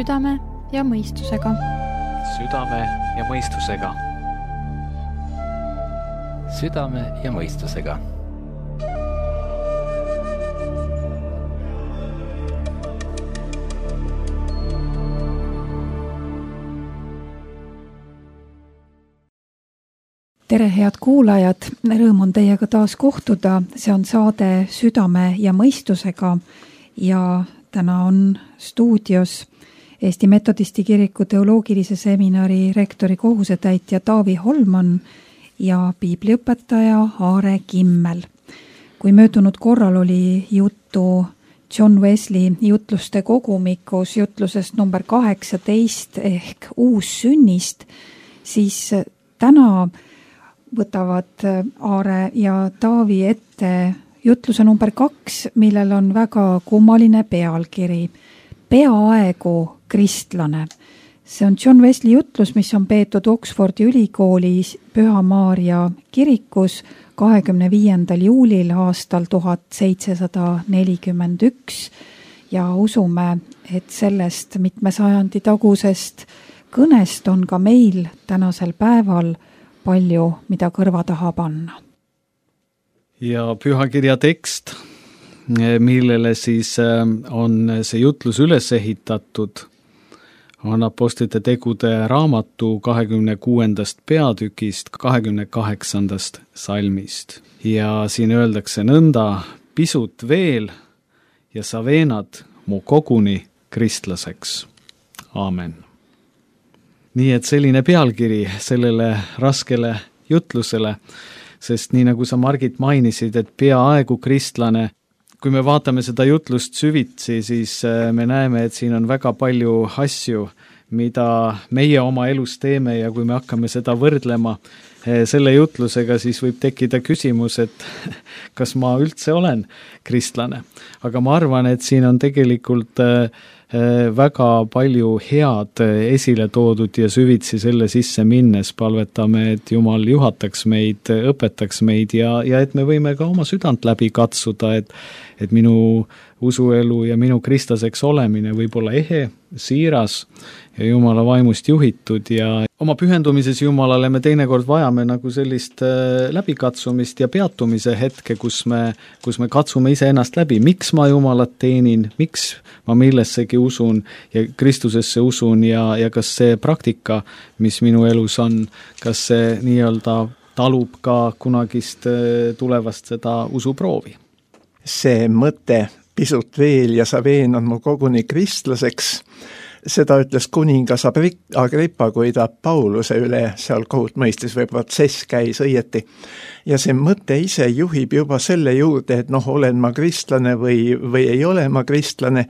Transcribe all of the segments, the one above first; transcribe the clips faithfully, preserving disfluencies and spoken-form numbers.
südame ja mõistusega. Südame ja mõistusega. Südame ja mõistusega. Tere, head kuulajad! Rõõm on teiega taas kohtuda. See on saade Südame ja mõistusega ja täna on stuudios Eesti Metodisti Kiriku teoloogilise seminari rektori kohusetäitja Taavi Holman ja piibliõpetaja Aare Kimmel. Kui möödunud korral oli juttu John Wesley jutluste kogumikus jutlusest number kaheksateist ehk uussünnist, siis täna võtavad Aare ja Taavi ette jutluse number kaks, millel on väga kummaline pealkiri. Peaaegu kristlane. See on John Wesley jutlus, mis on peetud Oxfordi ülikoolis Püha Maarja kirikus kahekümne viiendal juulil aastal tuhat seitsesada nelikümmend üks ja usume, et sellest mitme sajandi tagusest kõnest on ka meil tänasel päeval palju, mida kõrva taha panna. Ja pühakirja tekst, millele siis on see jutlus üles ehitatud, on Apostlite tegude raamatu kahekümne kuuendast peatükist kahekümne kaheksandast salmist. Ja siin öeldakse nõnda: pisut veel ja sa veenad mu koguni kristlaseks. Aamen. Nii et selline pealkiri sellele raskele jutlusele, sest nii nagu sa, Margit, mainisid, et peaaegu kristlane, kui me vaatame seda jutlust süvitsi, siis me näeme, et siin on väga palju asju, mida meie oma elus teeme ja kui me hakkame seda võrdlema selle jutlusega, siis võib tekkida küsimus, et kas ma üldse olen kristlane. Aga ma arvan, et siin on tegelikult väga palju head esile toodud ja süvitsi selle sisse minnes palvetame, et Jumal juhataks meid, õpetaks meid ja, ja et me võime ka oma südant läbi katsuda, et, et minu usuelu ja minu kristlaseks olemine võib olla ehe, siiras ja Jumala vaimust juhitud ja oma pühendumises Jumalale me teinekord vajame nagu sellist läbikatsumist ja peatumise hetke, kus me, kus me katsume ise ennast läbi. Miks ma Jumalat teenin, miks ma millessegi usun ja Kristusesse usun ja, ja kas see praktika, mis minu elus on, kas see nii-öelda talub ka kunagist tulevast seda usuproovi? See mõte, pisut veel ja sa veenad mu koguni kristlaseks, seda ütles kuningas Agrippa, kui ta Pauluse üle seal kohut mõistis või protsess käis õieti. Ja see mõte ise juhib juba selle juurde, et noh, olen ma kristlane või, või ei ole ma kristlane.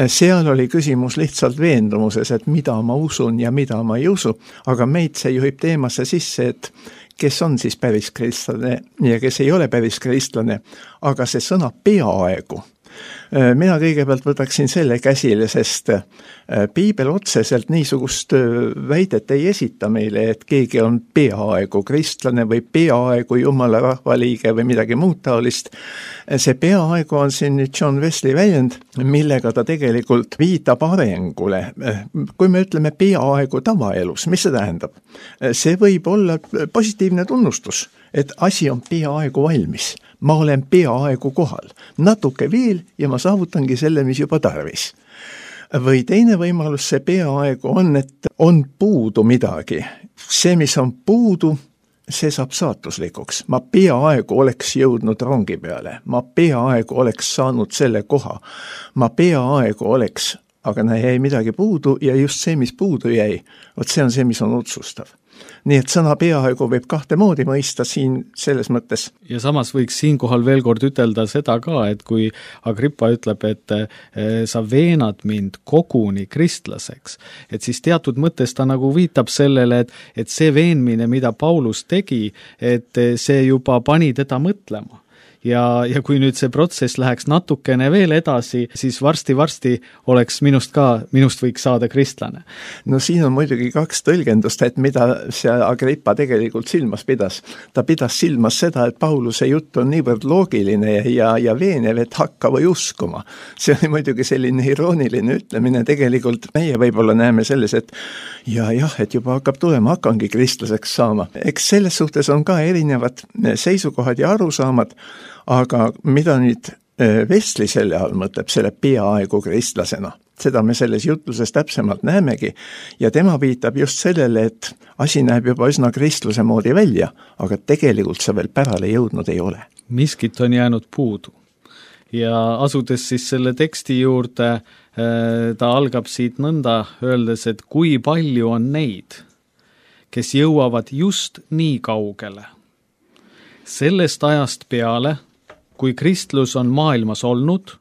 Seal oli küsimus lihtsalt veendumuses, et mida ma usun ja mida ma ei usu, aga meid see juhib teemasse sisse, et kes on siis päris kristlane ja kes ei ole päris kristlane, aga see sõna peaaegu. Mina kõigepealt võtaksin selle käsile, sest piibel otseselt niisugust väidet ei esita meile, et keegi on peaaegu kristlane või peaaegu Jumala rahvaliige või midagi muud taolist. See peaaegu on siin John Wesley väljend, millega ta tegelikult viitab arengule. Kui me ütleme peaaegu tavaelus, mis see tähendab? See võib olla positiivne tunnustus, et asi on peaaegu valmis. Ma olen peaaegu kohal. Natuke veel ja ma saavutangi selle, mis juba tarvis. Või teine võimalus see peaaegu on, et on puudu midagi. See, mis on puudu, see saab saatuslikuks. Ma peaaegu oleks jõudnud rongi peale. Ma peaaegu oleks saanud selle koha. Ma peaaegu oleks, aga jäi midagi puudu ja just see, mis puudu jäi, vot see on see, mis on otsustav. Nii et sõna peaaegu võib kahte moodi mõista siin selles mõttes. Ja samas võiks siinkohal veel kord ütelda seda ka, et kui Agrippa ütleb, et sa veenad mind koguni kristlaseks, et siis teatud mõttes ta nagu viitab sellele, et, et see veenmine, mida Paulus tegi, et see juba pani teda mõtlema. ja, ja kui nüüd see protsess läheks natukene veel edasi, siis varsti-varsti oleks minust ka, minust võiks saada kristlane. No siin on muidugi kaks tõlgendust, et mida see Agrippa tegelikult silmas pidas. Ta pidas silmas seda, et Pauluse jutt on niivõrd loogiline ja, ja veenev, et hakka või uskuma. See oli muidugi selline irooniline ütlemine, tegelikult meie võib-olla näeme selles, et ja jah, et juba hakkab tulema, hakkangi kristlaseks saama. Eks selles suhtes on ka erinevad seisukohad ja arusaamad, aga mida nüüd Wesley selle all mõtleb, selle peaaegu kristlasena, seda me selles jutluses täpsemalt näemegi ja tema viitab just sellele, et asi näeb juba üsna kristluse moodi välja, aga tegelikult see veel pärale jõudnud ei ole. Miskit on jäänud puudu ja asudes siis selle teksti juurde, ta algab siit nõnda öeldes, et kui palju on neid, kes jõuavad just nii kaugele. Sellest ajast peale, kui kristlus on maailmas olnud,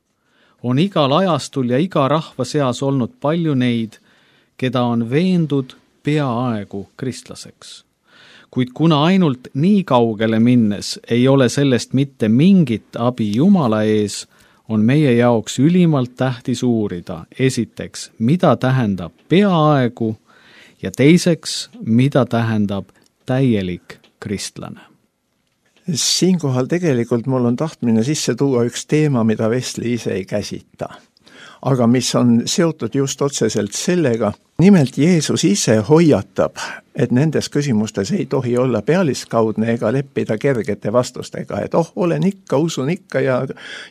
on igal ajastul ja iga rahva seas olnud palju neid, keda on veendud peaaegu kristlaseks. Kuid kuna ainult nii kaugele minnes ei ole sellest mitte mingit abi Jumala ees, on meie jaoks ülimalt tähtis uurida esiteks, mida tähendab peaaegu ja teiseks, mida tähendab täielik kristlane. Siinkohal tegelikult mul on tahtmine sisse tuua üks teema, mida Wesley ise ei käsita, aga mis on seotud just otseselt sellega. Nimelt Jeesus ise hoiatab, et nendes küsimustes ei tohi olla pealiskaudne ega leppida kergete vastustega, et oh, olen ikka, usun ikka ja,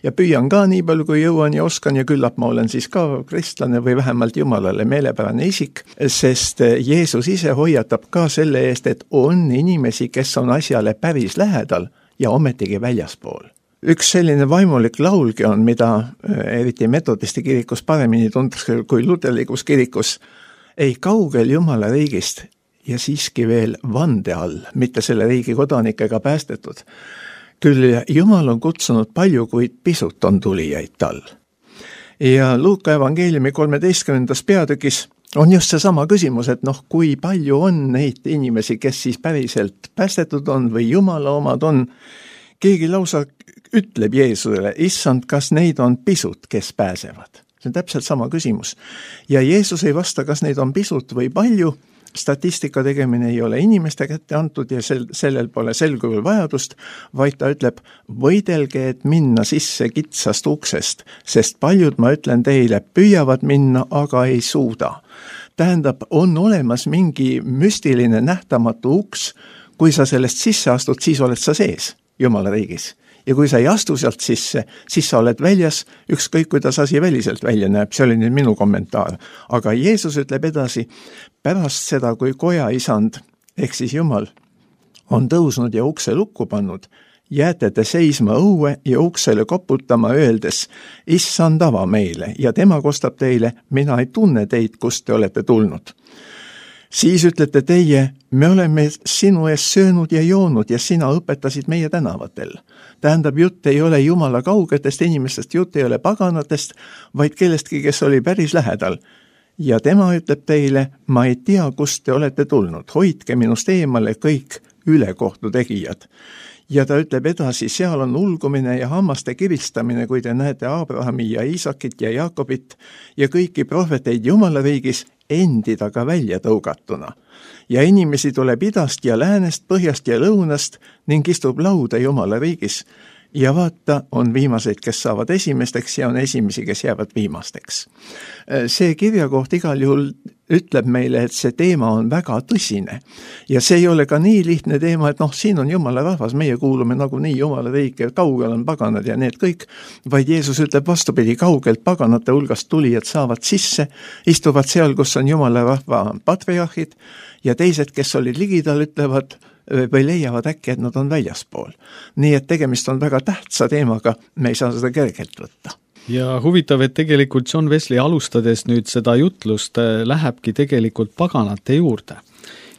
ja püüan ka nii palju, kui jõuan ja oskan ja küllap ma olen siis ka kristlane või vähemalt Jumalale meelepärane isik, sest Jeesus ise hoiatab ka selle eest, et on inimesi, kes on asjale päris lähedal ja ometigi väljaspool. Üks selline vaimulik laulgi on, mida eriti metodisti kirikus paremini tuntakse kui luterlikus kirikus, ei kaugel Jumala riigist ja siiski veel vande all, mitte selle riigi kodanikega päästetud. Küll Jumal on kutsunud palju, kuid pisut on tulijaid tal. Ja Luuka evangeeliumi kolmeteistkümnendas peatükis on just see sama küsimus, et noh, kui palju on neid inimesi, kes siis päriselt päästetud on või Jumala omad on. Keegi lausa ütleb Jeesusele, issand, kas neid on pisut, kes pääsevad? See on täpselt sama küsimus. Ja Jeesus ei vasta, kas neid on pisut või palju. Statistika tegemine ei ole inimeste kätte antud ja sel, sellel pole selguvul vajadust, vaid ta ütleb, võidelge, et minna sisse kitsast uksest, sest paljud, ma ütlen teile, püüavad minna, aga ei suuda. Tähendab, on olemas mingi müstiline nähtamatu uks, kui sa sellest sisse astud, siis oled sa sees Jumala riigis. Ja kui sa ei astu sealt sisse, siis sa oled väljas, ükskõik kuidas asi väliselt välja näeb, see oli nüüd minu kommentaar. Aga Jeesus ütleb edasi, pärast seda, kui koja isand, ehk siis Jumal, on tõusnud ja ukse lukku pannud, jääte te seisma õue ja uksele koputama öeldes, issand ava meile ja tema kostab teile, mina ei tunne teid, kust te olete tulnud. Siis ütlete teie, me oleme sinu ees söönud ja joonud ja sina õpetasid meie tänavatel. Tähendab, jutt ei ole Jumala kaugetest inimestest, jutt ei ole paganatest, vaid kellestki, kes oli päris lähedal. Ja tema ütleb teile, ma ei tea, kust te olete tulnud, hoidke minust eemale kõik ülekohtu tegijad. Ja ta ütleb edasi, seal on ulgumine ja hammaste kiristamine, kui te näete Abrahami ja Iisakit ja Jaakobit ja kõiki prohveteid Jumala riigis endi taga välja tõugatuna. Ja inimesi tuleb idast ja läänest, põhjast ja lõunast ning istub lauda Jumala riigis. Ja vaata, on viimaseid, kes saavad esimesteks ja on esimesi, kes jäävad viimasteks. See kirjakoht igal juhul ütleb meile, et see teema on väga tõsine. Ja see ei ole ka nii lihtne teema, et noh, siin on Jumala rahvas, meie kuulume nagu nii Jumala riike, kaugel on paganad ja need kõik, vaid Jeesus ütleb vastupidi, kaugelt paganate hulgast tulijad saavad sisse, istuvad seal, kus on Jumala rahva patriarhid ja teised, kes olid ligidal, ütlevad või leiavad äkki, et nad on väljaspool. Nii et tegemist on väga tähtsa teemaga, me ei saa seda kergelt võtta. Ja huvitav, et tegelikult John Wesley alustades nüüd seda jutlust lähebki tegelikult paganate juurde.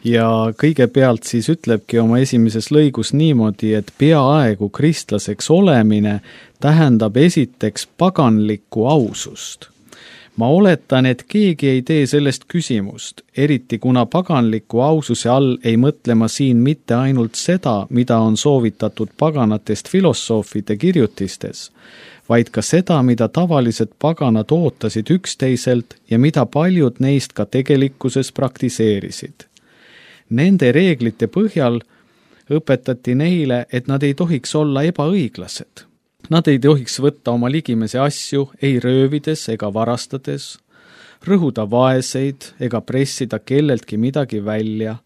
Ja kõigepealt siis ütlebki oma esimeses lõigus niimoodi, et peaaegu kristlaseks olemine tähendab esiteks paganlikku ausust. ma oletan, et keegi ei tee sellest küsimust, eriti kuna paganliku aususe all ei mõtle ma siin mitte ainult seda, mida on soovitatud paganatest filosoofide kirjutistes, vaid ka seda, mida tavalised paganad ootasid üksteiselt ja mida paljud neist ka tegelikkuses praktiseerisid. Nende reeglite põhjal õpetati neile, et nad ei tohiks olla ebaõiglased. Nad ei tohiks võtta oma ligimese asju ei röövides ega varastades, rõhuda vaeseid ega pressida kelleltki midagi välja.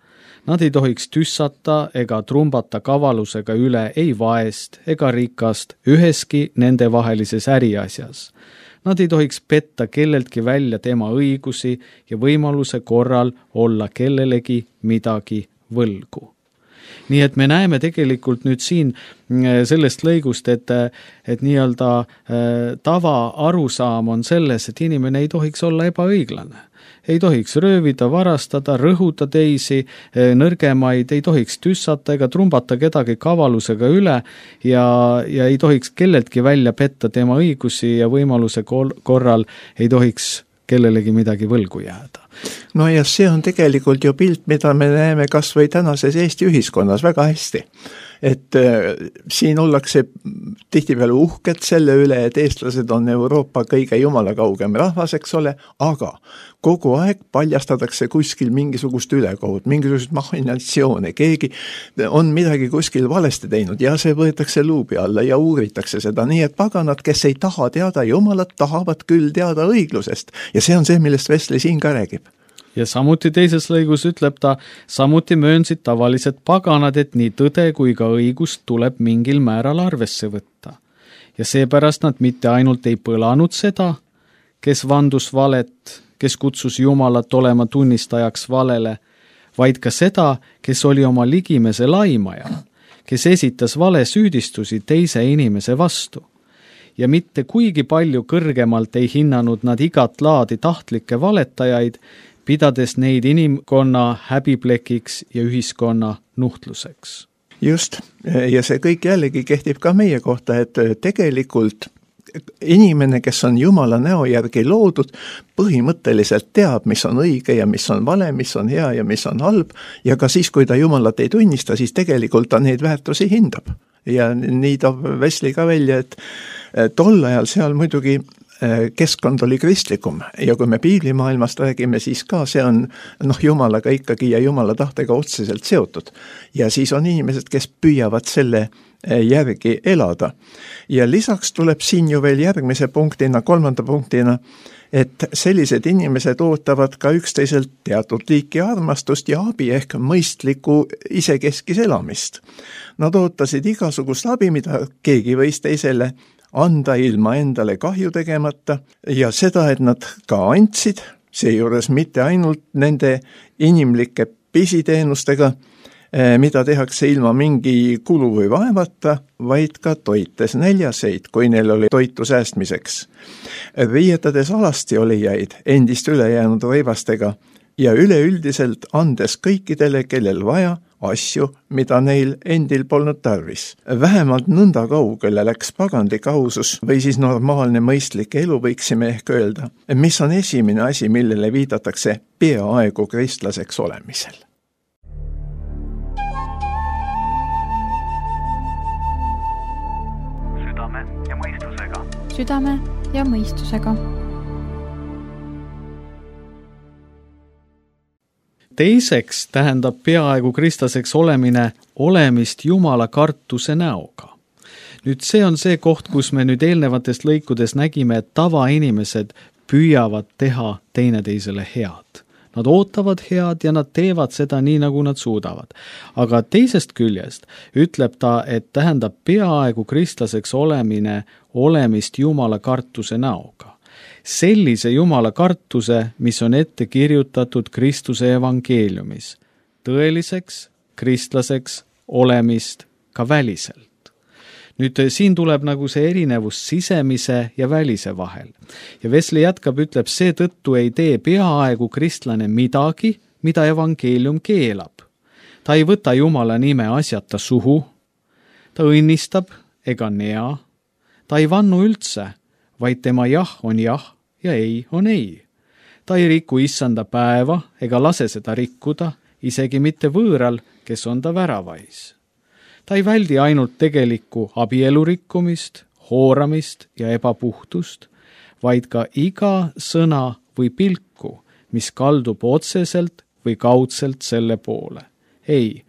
Nad ei tohiks tüssata ega trumbata kavalusega üle ei vaest ega rikast üheski nende vahelises äriasjas. Nad ei tohiks petta kelleltki välja tema õigusi ja võimaluse korral olla kellelegi midagi võlgu. Nii et me näeme tegelikult nüüd siin sellest lõigust, et, et nii-öelda tava arusaam on selles, et inimene ei tohiks olla ebaõiglane. Ei tohiks röövida, varastada, rõhuda teisi, nõrgemaid, ei tohiks tüssata ega trumbata kedagi kavalusega üle ja, ja ei tohiks kelleltki välja petta tema õigusi ja võimaluse korral ei tohiks kellelegi midagi võlgu jääda. No ja see on tegelikult ju pilt, mida me näeme kas või tänases Eesti ühiskonnas väga hästi. Et äh, siin ollakse tihtipeale uhked selle üle, et eestlased on Euroopa kõige jumala kaugem rahvas, eks ole, aga kogu aeg paljastatakse kuskil mingisugust ülekohut, mingisugust machinatsioone, keegi on midagi kuskil valesti teinud ja see võetakse luubi alla ja uuritakse seda, nii et paganad, kes ei taha teada jumalat, tahavad küll teada õiglusest ja see on see, millest Wesley siin ka räägib. Ja samuti teises lõigus ütleb ta, samuti möönsid tavalised paganad, et nii tõde kui ka õigust tuleb mingil määral arvesse võtta. Ja seepärast nad mitte ainult ei põlanud seda, kes vandus valet, kes kutsus Jumalat olema tunnistajaks valele, vaid ka seda, kes oli oma ligimese laimaja, kes esitas vale süüdistusi teise inimese vastu. Ja mitte kuigi palju kõrgemalt ei hinnanud nad igat laadi tahtlikke valetajaid, pidades neid inimkonna häbiplekiks ja ühiskonna nuhtluseks. Just, ja see kõik jällegi kehtib ka meie kohta, et tegelikult inimene, kes on Jumala näo järgi loodud, põhimõtteliselt teab, mis on õige ja mis on vale, mis on hea ja mis on halb, ja ka siis, kui ta Jumalat ei tunnista, siis tegelikult ta neid väärtusi hindab. Ja nii toob Wesley ka välja, et tol ajal seal muidugi keskkond oli kristlikum ja kui me piiblimaailmast räägime, siis ka see on noh, Jumalaga ikkagi ja Jumala tahtega otseselt seotud. Ja siis on inimesed, kes püüavad selle järgi elada. Ja lisaks tuleb siin ju veel järgmise punktina, kolmanda punktina, et sellised inimesed ootavad ka üksteiselt teatud liiki armastust ja abi ehk mõistliku isekeskis elamist. Nad ootasid igasugust abi, mida keegi võis teisele anda ilma endale kahju tegemata ja seda, et nad ka andsid, seejuures mitte ainult nende inimlike pisiteenustega, mida tehakse ilma mingi kulu või vaevata, vaid ka toites näljaseid, kui neil oli toitu säästmiseks. Riietades alasti olijaid endist ülejäänud rõivastega ja üleüldiselt andes kõikidele, kellel vaja, asju, mida neil endil polnud tarvis. Vähemalt nõnda kaugele läks pagandlik ausus või siis normaalne mõistlik elu, võiksime ehk öelda, mis on esimene asi, millele viidatakse peaaegu kristlaseks olemisel. Südame ja mõistusega. Südame ja mõistusega. Teiseks tähendab peaaegu kristlaseks olemine olemist Jumala kartuse näoga. Nüüd see on see koht, kus me nüüd eelnevatest lõikudes nägime, et tavainimesed püüavad teha teineteisele head. Nad ootavad head ja nad teevad seda nii, nagu nad suudavad. Aga teisest küljest ütleb ta, et tähendab peaaegu kristlaseks olemine olemist Jumala kartuse näoga. Sellise Jumala kartuse, mis on ette kirjutatud Kristuse evangeeliumis, tõeliseks kristlaseks olemist ka väliselt. Nüüd siin tuleb nagu see erinevus sisemise ja välise vahel. Ja Wesley jätkab, ütleb, seetõttu ei tee peaaegu kristlane midagi, mida evangeelium keelab. Ta ei võta Jumala nime asjata suhu, ta õnnistab ega nea, ta ei vannu üldse, vaid tema jah on jah ja ei on ei. Ta ei riku issanda päeva ega lase seda rikkuda, isegi mitte võõral, kes on ta väravais. Ta ei väldi ainult tegelikku abielu rikkumist, hooramist ja ebapuhtust, vaid ka iga sõna või pilku, mis kaldub otseselt või kaudselt selle poole. Ei,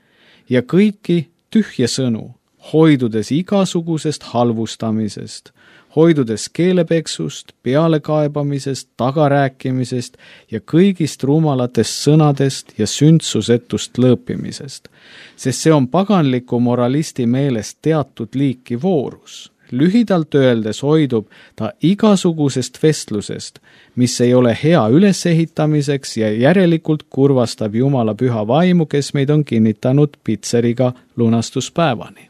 ja kõiki tühje sõnu, hoidudes igasugusest halvustamisest, hoidudes keelepeksust, pealekaebamisest, tagarääkimisest ja kõigist rumalatest sõnadest ja sündsusetust lõõpimisest, sest see on paganliku moralisti meelest teatud liiki voorus. Lühidalt öeldes hoidub ta igasugusest vestlusest, mis ei ole hea ülesehitamiseks ja järelikult kurvastab Jumala püha vaimu, kes meid on kinnitanud pitseriga lunastuspäevani.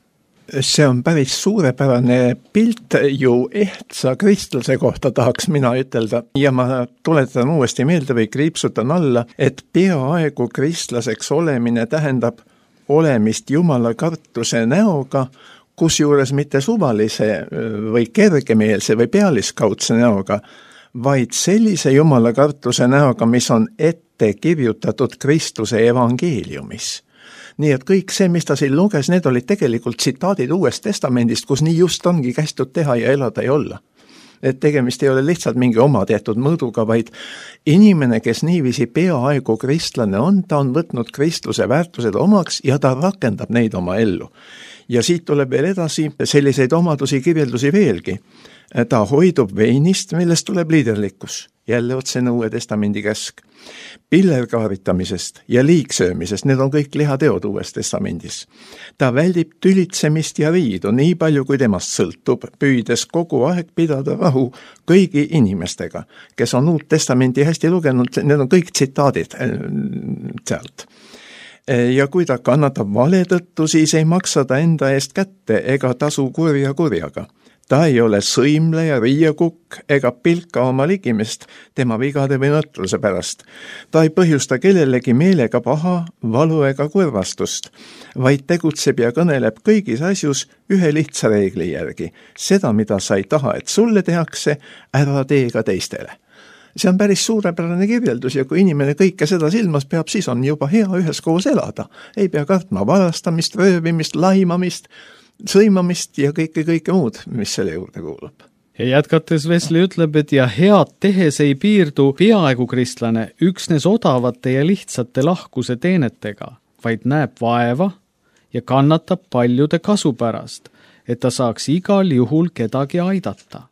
See on päris suurepärane pilt ju ehtsa kristluse kohta, tahaks mina ütelda. Ja ma tuletan uuesti meelde või kriipsutan alla, et peaaegu kristlaseks olemine tähendab olemist Jumala kartuse näoga, kusjuures mitte suvalise või kergemeelse või pealiskaudse näoga, vaid sellise Jumala kartuse näoga, mis on ette kirjutatud Kristuse evangeeliumis. Nii et kõik see, mis ta siin luges, need olid tegelikult tsitaadid Uuest Testamendist, kus nii just ongi kästud teha ja elada ja olla. Et tegemist ei ole lihtsalt mingi oma tehtud mõõduga, vaid inimene, kes niiviisi peaaegu kristlane on, ta on võtnud kristluse väärtused omaks ja ta rakendab neid oma ellu. Ja siit tuleb veel edasi selliseid omadusi kirjeldusi veelgi. Ta hoidub veinist, millest tuleb liiderlikkus, jälle otsene Uue Testamendi käsk. Pillerkaaritamisest ja liigsöömisest, need on kõik lihateod Uues Testamendis. Ta väldib tülitsemist ja riidu nii palju, kui temast sõltub, püüdes kogu aeg pidada rahu kõigi inimestega, kes on Uut Testamenti hästi lugenud, need on kõik tsitaadid sealt. Ja kui ta kannatab vale tõttu, siis ei maksa ta enda eest kätte ega tasu kurja kurjaga. Ta ei ole sõimleja, riiakukk ega pilka oma ligimest tema vigade või nõtruse pärast. Ta ei põhjusta kellelegi meelega paha, valu ega kurvastust, vaid tegutseb ja kõneleb kõigis asjus ühe lihtsa reegli järgi. Seda, mida sa ei taha, et sulle tehakse, ära tee ka teistele. See on päris suurepärane kirjeldus ja kui inimene kõike seda silmas peab, siis on juba hea üheskoos elada. Ei pea kartma varastamist, röövimist, laimamist, sõimamist ja kõike, kõike muud, mis selle juurde kuulub. Ja jätkates Wesley ütleb, et ja head tehes ei piirdu peaaegu kristlane üksnes odavate ja lihtsate lahkuse teenetega, vaid näeb vaeva ja kannatab paljude kasu pärast, et ta saaks igal juhul kedagi aidata.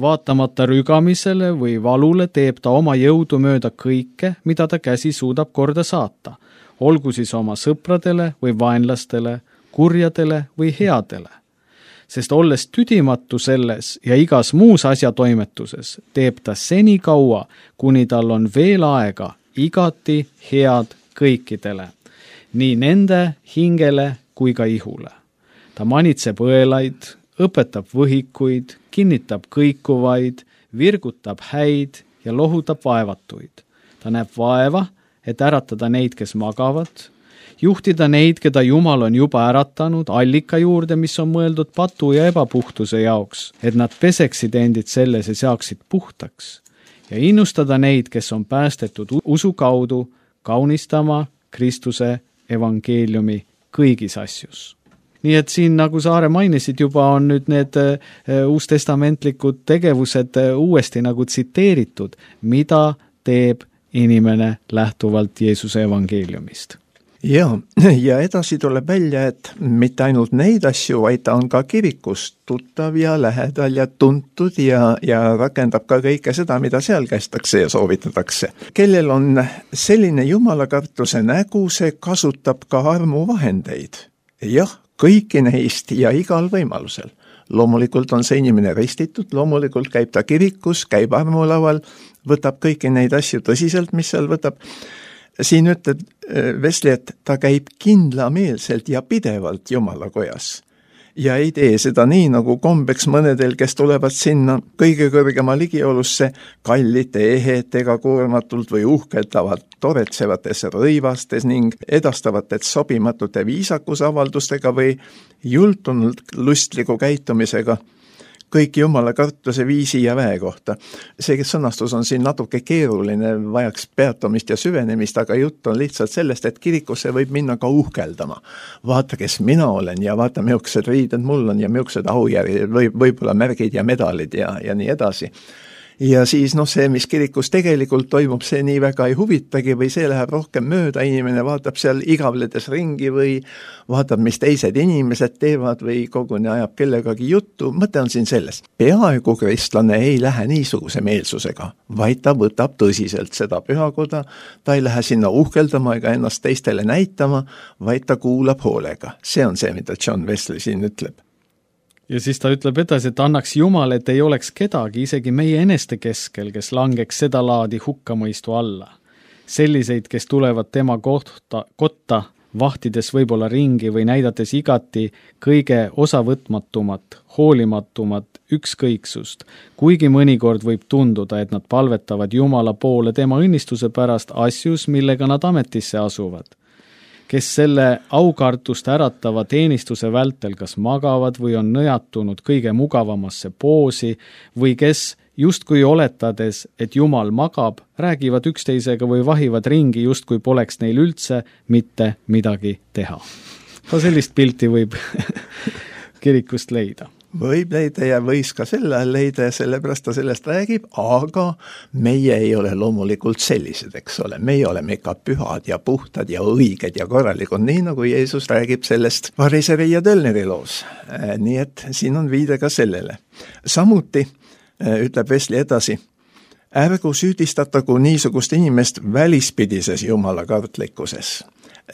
Vaatamata rügamisele või valule teeb ta oma jõudu mööda kõike, mida ta käsi suudab korda saata, olgu siis oma sõpradele või vaenlastele, kurjadele või headele. Sest olles tüdimatu selles ja igas muus asjatoimetuses, teeb ta seni kaua, kuni tal on veel aega igati head kõikidele, nii nende hingele kui ka ihule. Ta manitseb õelaid, õpetab võhikuid, kinnitab kõikuvaid, virgutab häid ja lohutab vaevatuid. Ta näeb vaeva, et äratada neid, kes magavad, juhtida neid, keda Jumal on juba äratanud allika juurde, mis on mõeldud patu ja ebapuhtuse jaoks, et nad peseksid endid selles ja saaksid puhtaks, ja innustada neid, kes on päästetud usu kaudu, kaunistama Kristuse evangeeliumi kõigis asjus. Nii et siin, nagu Saare mainisid, juba on nüüd need uustestamentlikud tegevused uuesti nagu tsiteeritud, mida teeb inimene lähtuvalt Jeesuse evangeeliumist. Ja, ja edasi tuleb välja, et mitte ainult neid asju, vaid ta on ka kirikus tuttav ja lähedal ja tuntud ja, ja rakendab ka kõike seda, mida seal kästakse ja soovitatakse. Kellel on selline jumalakartuse nägu, see kasutab ka armuvahendeid. Jah, kõiki neist ja igal võimalusel. Loomulikult on see inimene ristitud, loomulikult käib ta kirikus, käib armulaual, võtab kõiki neid asju tõsiselt, mis seal võtab. Siin ütleb Wesley, et ta käib kindlameelselt ja pidevalt Jumala kojas. Ja ei tee seda nii, nagu kombeks mõnedel, kes tulevad sinna kõige kõrgema ligiolusse kallite ehetega koormatult või uhkeldavad toretsevates rõivastes ning edastavad et sobimatute viisakusavaldustega või jultunult lustliku käitumisega. kõik jumala kartuse viisi ja väe kohta. See sõnastus on siin natuke keeruline, vajaks peatumist ja süvenemist, aga jutt on lihtsalt sellest, et kirikusse võib minna ka uhkeldama. Vaata, kes mina olen ja vaata, millised riided mul on ja millised aujärjed, või, võib-olla märgid ja medalid ja, ja nii edasi. Ja siis noh, see, mis kirikus tegelikult toimub, see nii väga ei huvitagi või see läheb rohkem mööda, inimene vaatab seal igavledes ringi või vaatab, mis teised inimesed teevad või koguni ajab kellegagi juttu. Mõte on siin selles. Peaaegu kristlane ei lähe niisuguse meelsusega, vaid ta võtab tõsiselt seda pühakoda, ta ei lähe sinna uhkeldama ega ennast teistele näitama, vaid ta kuulab hoolega. See on see, mida John Wesley siin ütleb. Ja siis ta ütleb edasi, et annaks Jumal, et ei oleks kedagi, isegi meie eneste keskel, kes langeks seda laadi hukkamõistu alla. Selliseid, kes tulevad tema kohta, kotta, vahtides võib-olla ringi või näidates igati kõige osavõtmatumat, hoolimatumat ükskõiksust, kuigi mõnikord võib tunduda, et nad palvetavad Jumala poole tema õnnistuse pärast asjus, millega nad ametisse asuvad. Kes selle aukartust äratava teenistuse vältel kas magavad või on nõjatunud kõige mugavamasse poosi või kes justkui oletades, et Jumal magab, räägivad üksteisega või vahivad ringi, justkui poleks neil üldse mitte midagi teha. Ka sellist pilti võib kirikust leida. Võib leida ja võis ka selle leida ja sellepärast ta sellest räägib, aga meie ei ole loomulikult sellised, eks ole. Meie oleme ikka pühad ja puhtad ja õiged ja korralikud, nii nagu Jeesus räägib sellest variseri ja tölneri loos. Nii et siin on viide ka sellele. Samuti ütleb Wesley edasi, ärgu süüdistatagu niisugust inimest välispidises jumala kartlikkuses.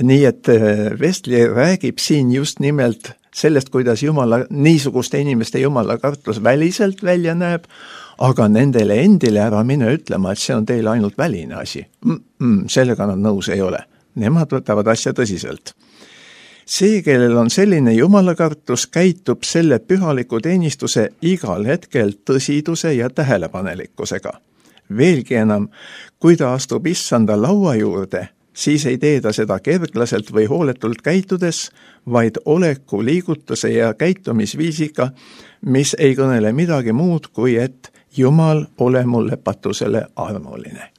Nii et Wesley räägib siin just nimelt sellest, kuidas jumala, niisuguste inimeste jumala kartus väliselt välja näeb, aga nendele endile ära mine ütlema, et see on teile ainult väline asi. Mm-mm, sellega nad nõus ei ole. Nemad võtavad asja tõsiselt. See, kellel on selline jumala kartus, käitub selle pühaliku teenistuse igal hetkel tõsiduse ja tähelepanelikkusega. Veelgi enam, kui ta astub issanda laua juurde, siis ei tee ta seda kerglaselt või hooletult käitudes, vaid oleku liigutuse ja käitumisviisiga, mis ei kõnele midagi muud, kui et Jumal ole mulle patusele armuline.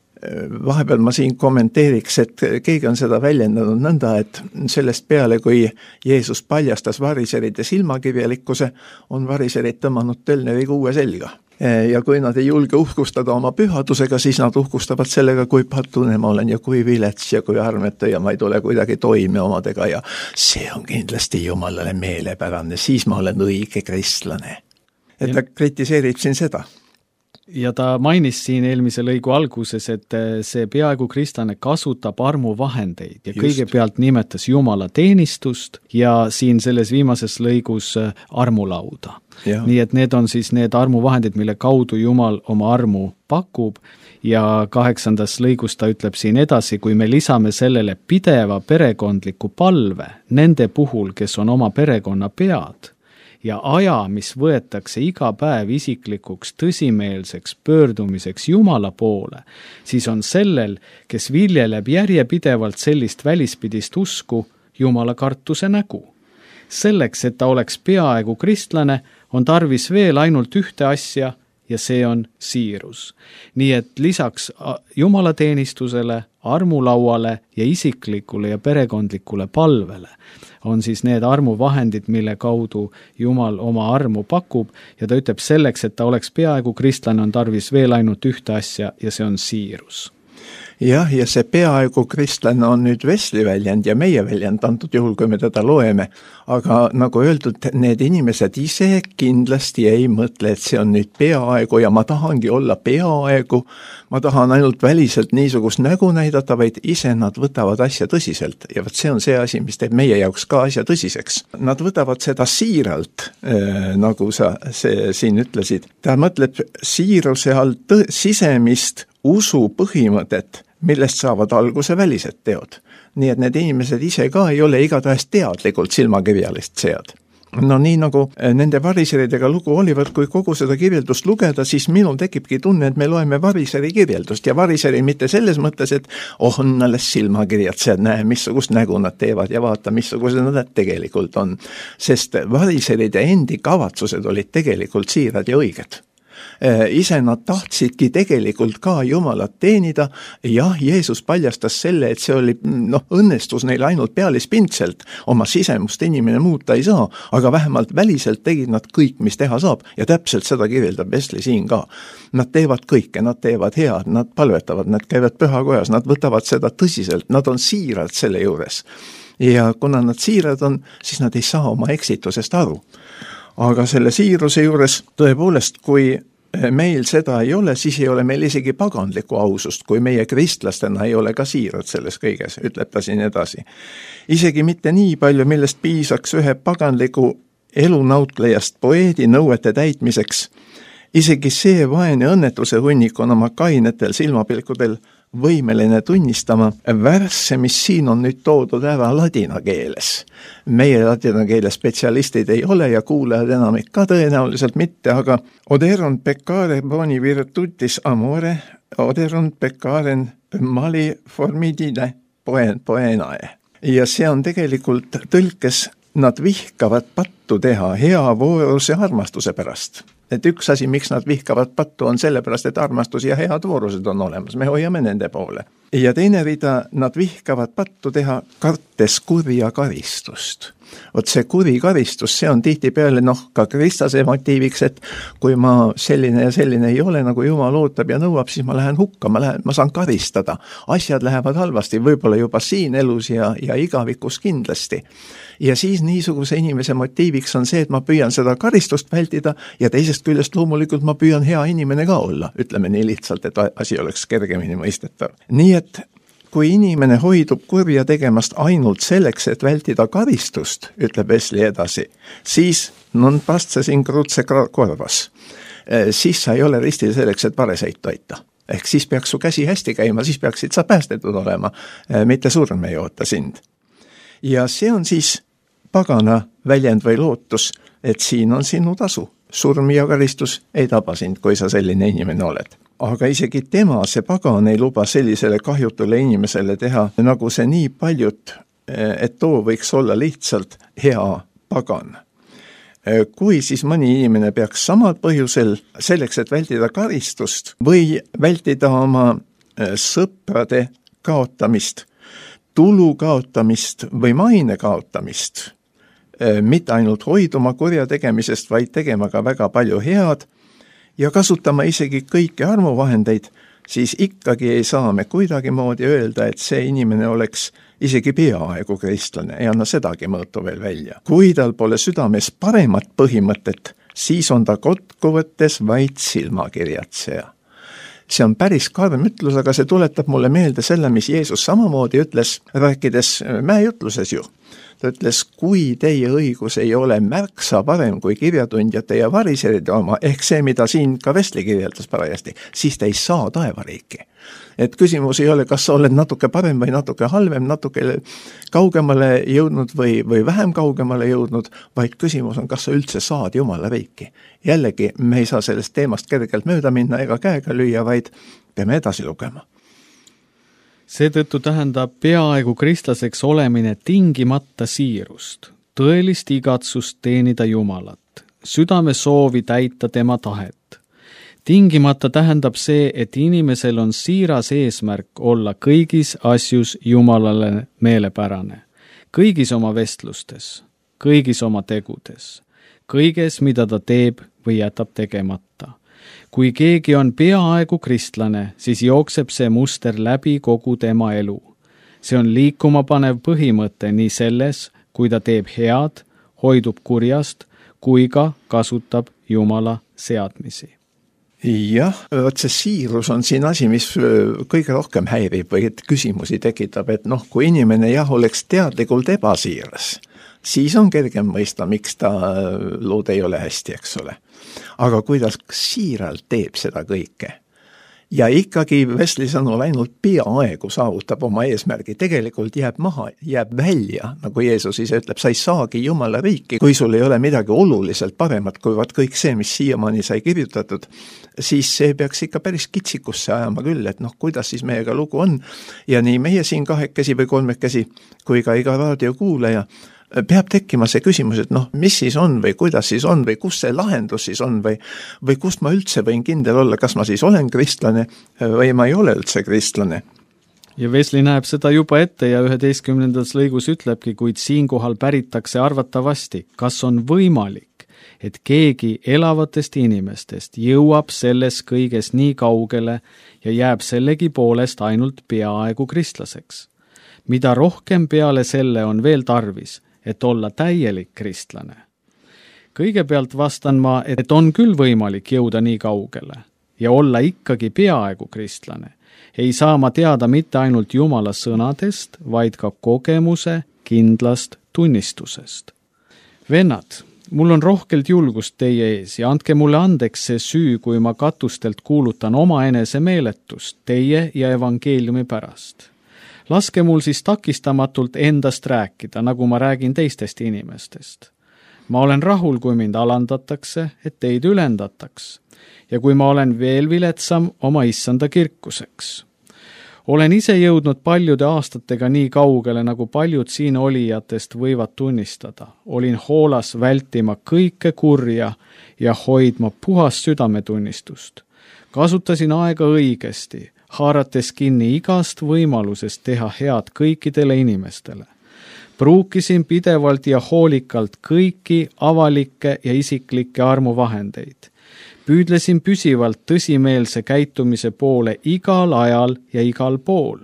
Vahepeal ma siin kommenteeriks, et keegi on seda väljendanud nõnda, et sellest peale, kui Jeesus paljastas variserite silmakirjalikkuse, on variserid tõmmanud tölneriga uue selga. Ja kui nad ei julge uhkustada oma pühadusega, siis nad uhkustavad sellega, kui patune ma olen ja kui vilets ja kui armetu ja ma ei tule kuidagi toime omadega ja see on kindlasti Jumalale meelepärane, siis ma olen õige kristlane. Et ta kritiseerib siin seda. Ja ta mainis siin eelmise lõigu alguses, et see peaaegu kristlane kasutab armuvahendeid ja Just. kõigepealt nimetas Jumala teenistust ja siin selles viimases lõigus armulauda. Ja. Nii et need on siis need armuvahendid, mille kaudu Jumal oma armu pakub ja kaheksandas lõigus ta ütleb siin edasi, kui me lisame sellele pideva perekondliku palve nende puhul, kes on oma perekonna pead, ja aja, mis võetakse iga päev isiklikuks tõsimeelseks pöördumiseks Jumala poole, siis on sellel, kes viljeleb järjepidevalt sellist välispidist usku, Jumala kartuse nägu. Selleks, et ta oleks peaaegu kristlane, on tarvis veel ainult ühte asja ja see on siirus. Nii et lisaks Jumala teenistusele, armulauale ja isiklikule ja perekondlikule palvele on siis need armuvahendid, mille kaudu Jumal oma armu pakub ja ta ütleb selleks, et ta oleks peaaegu kristlane, on tarvis veel ainult ühte asja ja see on siirus. Jah, ja see peaaegu kristlane on nüüd Wesley väljend ja meie väljend antud juhul, kui me teda loeme, aga nagu öeldud, need inimesed ise kindlasti ei mõtle, et see on nüüd peaaegu ja ma tahangi olla peaaegu, ma tahan ainult väliselt niisugust nägu näidata, vaid ise nad võtavad asja tõsiselt ja võt see on see asi, mis teeb meie jaoks ka asja tõsiseks. Nad võtavad seda siiralt, äh, nagu sa see, siin ütlesid. Ta mõtleb siiruse all tõ- sisemist usu põhimõtet, millest saavad alguse välised teod. Nii et need inimesed ise ka ei ole igatahes teadlikult silmakirjalist sead. no nii nagu nende variseridega lugu olivat, kui kogu seda kirjeldust lugeda, siis minul tekibki tunne, et me loeme variseri kirjeldust ja variseri mitte selles mõttes, et oh, on alles silmakirjatsejad, näe, missugust nägu nad teevad ja vaata, missugused nad tegelikult on. Sest variseride endi kavatsused olid tegelikult siirad ja õiged. Ise nad tahtsidki tegelikult ka Jumalat teenida. Jah, Jeesus paljastas selle, et see oli, noh, õnnestus neil ainult pealispindselt. Oma sisemust inimene muuta ei saa, aga vähemalt väliselt tegid nad kõik, mis teha saab. Ja täpselt seda kirjeldab Wesley siin ka. Nad teevad kõike, nad teevad head, nad palvetavad, nad käivad pühakojas, nad võtavad seda tõsiselt, nad on siirad selle juures. Ja kuna nad siirad on, siis nad ei saa oma eksitusest aru. Aga selle siiruse juures tõepoolest, kui meil seda ei ole, siis ei ole meil isegi paganlikku ausust, kui meie kristlastena ei ole ka siirad selles kõiges, ütleb ta siin edasi. Isegi mitte nii palju, millest piisaks ühe paganliku elunautlejast poeedi nõuete täitmiseks. Isegi see vaene õnnetuse hunnik on oma kainetel silmapilkudel võimeline tunnistama värsse, mis siin on nüüd toodud ära ladina keeles. Meie ladina keele spetsialistid ei ole ja kuulajad enamik ka tõenäoliselt mitte, aga oderon peccare boni virtutis amore, oderon peccaren mali formidine poenae. Ja see on tegelikult tõlkes, nad vihkavad pattu teha hea vooruse armastuse pärast. Et üks asi, miks nad vihkavad pattu, on sellepärast, et armastus ja head voorused on olemas. Me hoiame nende poole. Ja teine rida, nad vihkavad pattu teha kartes kurja karistust. Vot see kuri karistus, see on tihti peale noh, ka Kristase motiiviks, et kui ma selline ja selline ei ole, nagu Jumal ootab ja nõuab, siis ma lähen hukka, ma, lähen, ma saan karistada. Asjad lähevad halvasti, võib-olla juba siin elus ja, ja igavikus kindlasti. Ja siis niisuguse inimese motiiviks on see, et ma püüan seda karistust vältida ja teisest küljest loomulikult ma püüan hea inimene ka olla. Ütleme nii lihtsalt, et asi oleks kergemini mõistetav. Nii et kui inimene hoidub kurja tegemast ainult selleks, et vältida karistust, ütleb Wesley edasi, siis non pastse sin cruce korvas. Siis sa ei ole ristil selleks, et vareseid toita. Ehk siis peaks su käsi hästi käima, siis peaksid sa päästetud olema, mitte surm ei oota sind. Ja see on siis pagana väljend või lootus, et siin on sinu tasu. Surm ja karistus ei taba sind, kui sa selline inimene oled. Aga isegi tema, see pagan, ei luba sellisele kahjutule inimesele teha, nagu see nii paljut, et too võiks olla lihtsalt hea pagan. Kui siis mõni inimene peaks samal põhjusel selleks, et vältida karistust või vältida oma sõprade kaotamist, tulu kaotamist või maine kaotamist, mitte ainult hoiduma kurja tegemisest, vaid tegema ka väga palju head ja kasutama isegi kõiki armuvahendeid, siis ikkagi ei saa me kuidagi moodi öelda, et see inimene oleks isegi peaaegu kristlane, ei anna sedagi mõõtu veel välja. Kui tal pole südames paremat põhimõtet, siis on ta kokkuvõttes vaid silmakirjatseja. See on päris karm ütlus, aga see tuletab mulle meelde selle, mis Jeesus samamoodi ütles, rääkides mäejutluses ju. Ta ütles, kui teie õigus ei ole märksa parem kui kirjatundjate ja variseride oma, ehk see, mida siin ka Wesley kirjeldas parajasti, siis te ei saa taevariiki. Et küsimus ei ole, kas sa oled natuke parem või natuke halvem, natuke kaugemale jõudnud või, või vähem kaugemale jõudnud, vaid küsimus on, kas sa üldse saad Jumala riiki. Jällegi, me ei saa sellest teemast kergelt mööda minna ega käega lüüa, vaid peame edasi lugema. Seetõttu tähendab peaaegu kristlaseks olemine tingimata siirust, tõelist igatsust teenida Jumalat, südame soovi täita tema tahet. Tingimata tähendab see, et inimesel on siiras eesmärk olla kõigis asjus Jumalale meelepärane, kõigis oma vestlustes, kõigis oma tegudes, kõiges, mida ta teeb või jätab tegemata. Kui keegi on peaaegu kristlane, siis jookseb see muster läbi kogu tema elu. See on liikuma panev põhimõte nii selles, kui ta teeb head, hoidub kurjast, kui ka kasutab Jumala seadmisi. Jah, võt see siirus on siin asi, mis kõige rohkem häirib või et küsimusi tekitab, et noh, kui inimene jah oleks teadlikult ebasiiras, siis on kergem mõista, miks ta lood ei ole hästi, eks ole. Aga kui ta siiralt teeb seda kõike, ja ikkagi Wesley sõnul ainult peaaegu saavutab oma eesmärgi, tegelikult jääb maha, jääb välja, nagu Jeesus ise ütleb, sa ei saagi Jumala riiki, kui sul ei ole midagi oluliselt paremat kui vaat kõik see, mis siiamaani sai kirjutatud, siis see peaks ikka päris kitsikusse ajama küll, et noh, kuidas siis meiega lugu on ja nii meie siin kahekesi või kolmekesi kui ka iga raadiokuulaja peab tekkima see küsimus, et noh, mis siis on või kuidas siis on või kus see lahendus siis on või, või kust ma üldse võin kindel olla, kas ma siis olen kristlane või ma ei ole üldse kristlane. Ja Wesley näeb seda juba ette ja üheteistkümnendas lõigus ütlebki, kuid siinkohal päritakse arvatavasti, kas on võimalik, et keegi elavatest inimestest jõuab selles kõiges nii kaugele ja jääb sellegi poolest ainult peaaegu kristlaseks. Mida rohkem peale selle on veel tarvis, et olla täielik kristlane. Kõigepealt vastan ma, et on küll võimalik jõuda nii kaugele ja olla ikkagi peaaegu kristlane. Ei saa ma teada mitte ainult Jumala sõnadest, vaid ka kogemuse kindlast tunnistusest. Vennad, mul on rohkelt julgust teie ees ja andke mulle andeks see süü, kui ma katustelt kuulutan oma enese meeletust teie ja evangeeliumi pärast. Laske mul siis takistamatult endast rääkida, nagu ma räägin teistest inimestest. Ma olen rahul, kui mind alandatakse, et teid ülendataks, ja kui ma olen veel viletsam oma issanda kirkuseks. Olen ise jõudnud paljude aastatega nii kaugele, nagu paljud siin olijatest võivad tunnistada. Olin hoolas vältima kõike kurja ja hoidma puhast südametunnistust. Kasutasin aega õigesti, haarates kinni igast võimalusest teha head kõikidele inimestele. Pruukisin pidevalt ja hoolikalt kõiki avalikke ja isiklikke armuvahendeid. Püüdlesin püsivalt tõsimeelse käitumise poole igal ajal ja igal pool.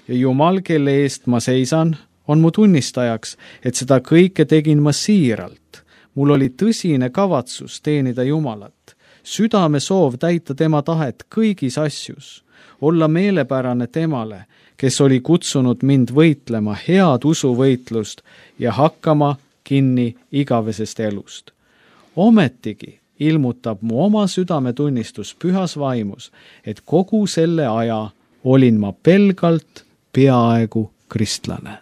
Ja Jumal, kelle eest ma seisan, on mu tunnistajaks, et seda kõike tegin ma siiralt. Mul oli tõsine kavatsus teenida Jumalat. Südame soov täita tema tahet kõigis asjus. Olla meelepärane temale, kes oli kutsunud mind võitlema head usuvõitlust ja hakkama kinni igavesest elust. Ometigi ilmutab mu oma südametunnistus pühas vaimus, et kogu selle aja olin ma pelgalt peaaegu kristlane.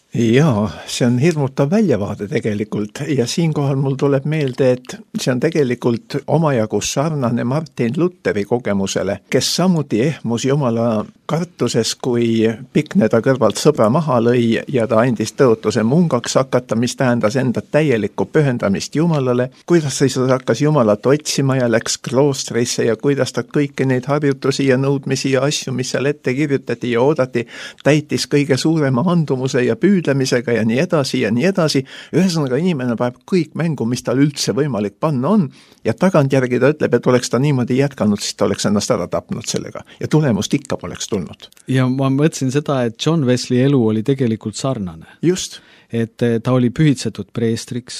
Jaa, see on hirmutav väljavaade tegelikult ja siinkohal mul tuleb meelde, et see on tegelikult omajagu sarnane Martin Lutheri kogemusele, kes samuti ehmus Jumala kartuses, kui Pikne ta kõrvalt sõbra maha lõi ja ta andis tõotuse mungaks hakata, mis tähendas enda täielikku pühendamist Jumalale, kuidas ta hakkas Jumalat otsima ja läks kloostrisse ja kuidas ta kõiki neid harjutusi ja nõudmisi ja asju, mis seal ette kirjutati ja oodati, täitis kõige suurema andumuse ja püüdlemisega ja nii edasi ja nii edasi. Ühesõnaga inimene paneb kõik mängu, mis tal üldse võimalik panna on ja tagantjärgi ta ütleb, et oleks ta niimoodi jätkanud, siis ta oleks ennast ära tapnud sellega ja tulemust ikka poleks tulnud. Ja ma mõtlesin seda, et John Wesley elu oli tegelikult sarnane. Just. Et ta oli pühitsetud preestriks,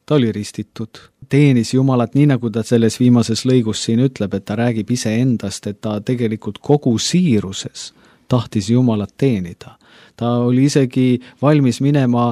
ta oli ristitud, teenis Jumalat nii, nagu ta selles viimases lõigus siin ütleb, et ta räägib ise endast, et ta tegelikult kogu siiruses tahtis Jumalat teenida. Ta oli isegi valmis minema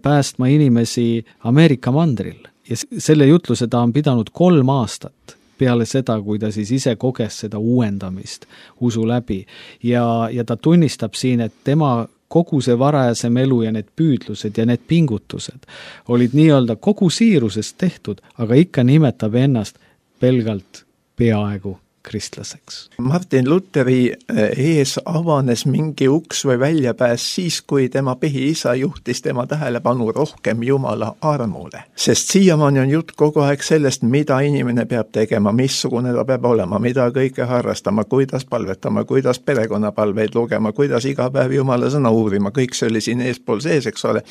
päästma inimesi Ameerika mandril ja selle jutluse ta on pidanud kolm aastat peale seda, kui ta siis ise koges seda uuendamist usu läbi ja, ja ta tunnistab siin, et tema kogu see varajasem elu ja need püüdlused ja need pingutused olid nii-öelda kogu siirusest tehtud, aga ikka nimetab ennast pelgalt peaaegu kristlaseks. Martin Lutheri ees avanes mingi uks või väljapääs siis, kui tema põhiisa juhtis tema tähelepanu rohkem Jumala armule. Sest siiamaani on jutt kogu aeg sellest, mida inimene peab tegema, missugune ta peab olema, mida kõike harrastama, kuidas palvetama, kuidas perekonnapalveid lugema, kuidas iga päev Jumala sõna uurima, kõik see oli siin eespool sees, eks ole.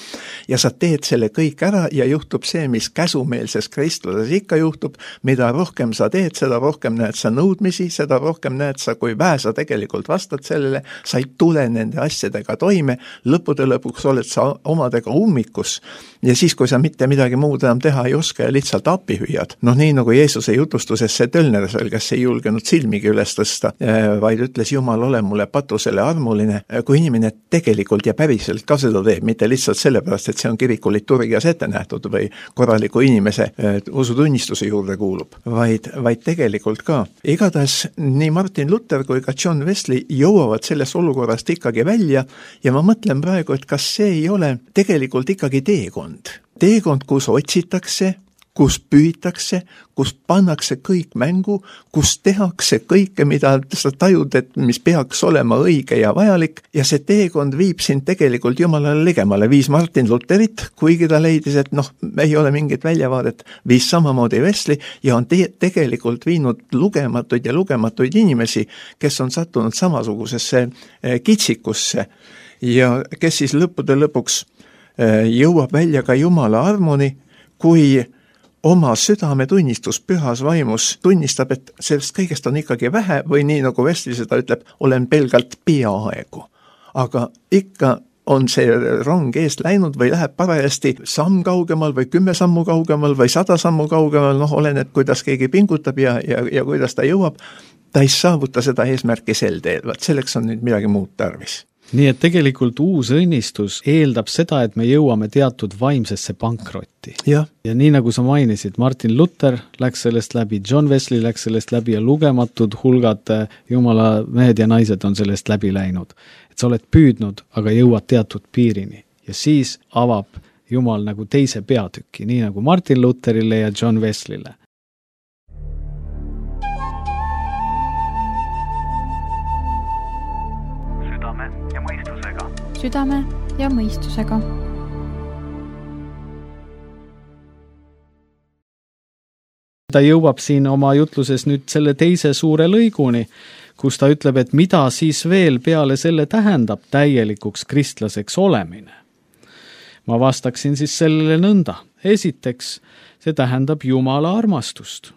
Ja sa teed selle kõik ära ja juhtub see, mis käsumeelses kristluses ikka juhtub, mida rohkem sa teed, seda rohkem näed sa nõudmisi, seda rohkem näed sa, kui vähe sa tegelikult vastad sellele, sa ei tule nende asjadega toime, lõppude lõpuks oled sa omadega ummikus ja siis, kui sa mitte midagi muud enam teha ei oska ja lihtsalt appi hüüad. Noh, nii nagu Jeesuse jutustuses see Tölnersel, kes ei julgenud silmigi üles tõsta, vaid ütles, Jumal, ole mulle patusele armuline, kui inimene tegelikult ja päriselt ka seda teeb, mitte lihtsalt sellepärast, et see on kiriku liturgias ette nähtud või korraliku inimese usutunnistuse juurde kuulub, vaid, vaid tegelikult ka. Iga igatahes nii Martin Luther kui ka John Wesley jõuavad sellest olukorrast ikkagi välja ja ma mõtlen praegu, et kas see ei ole tegelikult ikkagi teekond. Teekond, kus otsitakse, kus püütakse, kus pannakse kõik mängu, kus tehakse kõike, mida sa tajud, et mis peaks olema õige ja vajalik, ja see teekond viib sind tegelikult Jumalale ligemale. Viis Martin Lutherit, kuigi ta leidis, et noh, ei ole mingit väljavaadet, viis samamoodi Wesley ja on te- tegelikult viinud lugematuid ja lugematuid inimesi, kes on sattunud samasugusesse kitsikusse ja kes siis lõppude lõpuks jõuab välja ka Jumala armoni, kui oma südametunnistus pühas vaimus tunnistab, et sellest kõigest on ikkagi vähe või nii nagu Wesley seda ütleb, olen pelgalt peaaegu. Aga ikka on see rong eest läinud või läheb parajasti samm kaugemal või kümme sammu kaugemal või sada sammu kaugemal, noh oleneb, kuidas keegi pingutab ja, ja, ja kuidas ta jõuab, ta ei saavuta seda eesmärki sel teel, vaat selleks on nüüd midagi muud tarvis. Nii et tegelikult uus õnnistus eeldab seda, et me jõuame teatud vaimsesse pankrotti. Ja, ja nii nagu sa mainisid, Martin Luther läks sellest läbi, John Wesley läks sellest läbi ja lugematud hulgad Jumala mehed ja naised on sellest läbi läinud. Et sa oled püüdnud, aga jõuad teatud piirini ja siis avab Jumal nagu teise peatüki, nii nagu Martin Lutherile ja John Wesley'le. Südame ja mõistusega. Ta jõuab siin oma jutluses nüüd selle teise suure lõiguni, kus ta ütleb, et mida siis veel peale selle tähendab täielikuks kristlaseks olemine. Ma vastaksin siis sellele nõnda. Esiteks, see tähendab Jumala armastust.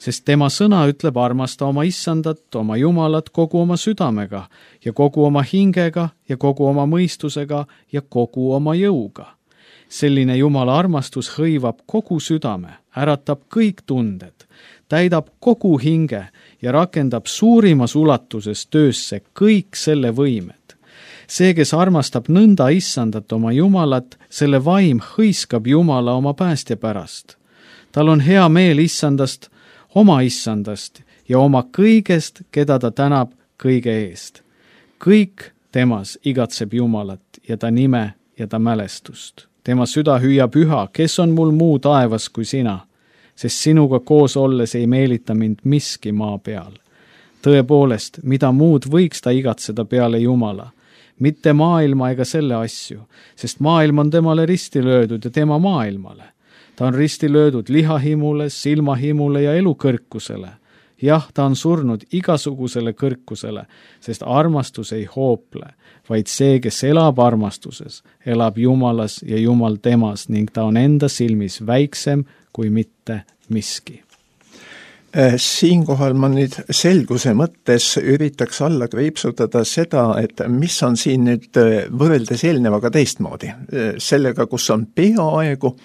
Sest tema sõna ütleb armasta oma issandat, oma Jumalat kogu oma südamega ja kogu oma hingega ja kogu oma mõistusega ja kogu oma jõuga. Selline Jumala armastus hõivab kogu südame, äratab kõik tunded, täidab kogu hinge ja rakendab suurimas ulatuses töösse kõik selle võimed. See, kes armastab nõnda issandat oma Jumalat, selle vaim hõiskab Jumala oma päästja pärast. Tal on hea meel issandast, oma issandast ja oma kõigest, keda ta tänab kõige eest. Kõik temas igatseb Jumalat ja ta nime ja ta mälestust. Tema süda hüüab üha, kes on mul muu taevas kui sina, sest sinuga koos olles ei meelita mind miski maa peal. Tõepoolest, mida muud võiks ta igatseda peale Jumala, mitte maailma ega selle asju, sest maailm on temale risti löödud ja tema maailmale. Ta on risti löödud lihahimule, silmahimule ja elukõrkusele. Jah, ta on surnud igasugusele kõrkusele, sest armastus ei hoople, vaid see, kes elab armastuses, elab Jumalas ja Jumal temas ning ta on enda silmis väiksem kui mitte miski. Siinkohal ma nüüd selguse mõttes üritaks alla kriipsutada seda, et mis on siin nüüd võrreldes eelnevaga teistmoodi. Sellega, kus on peaaegu,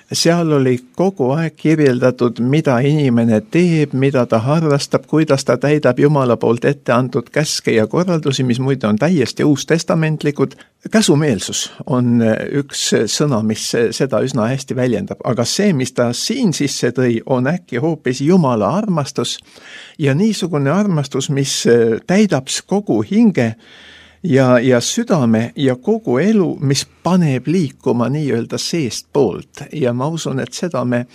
seal oli kogu aeg kirjeldatud, mida inimene teeb, mida ta harrastab, kuidas ta täidab Jumala poolt ette antud käske ja korraldusi, mis muide on täiesti uustestamentlikud. Käsumeelsus on üks sõna, mis seda üsna hästi väljendab, aga see, mis ta siin sisse tõi, on äkki hoopis Jumala armastus ja niisugune armastus, mis täidab kogu hinge ja, ja südame ja kogu elu, mis paneb liikuma nii-öelda seest poolt ja ma usun, et seda me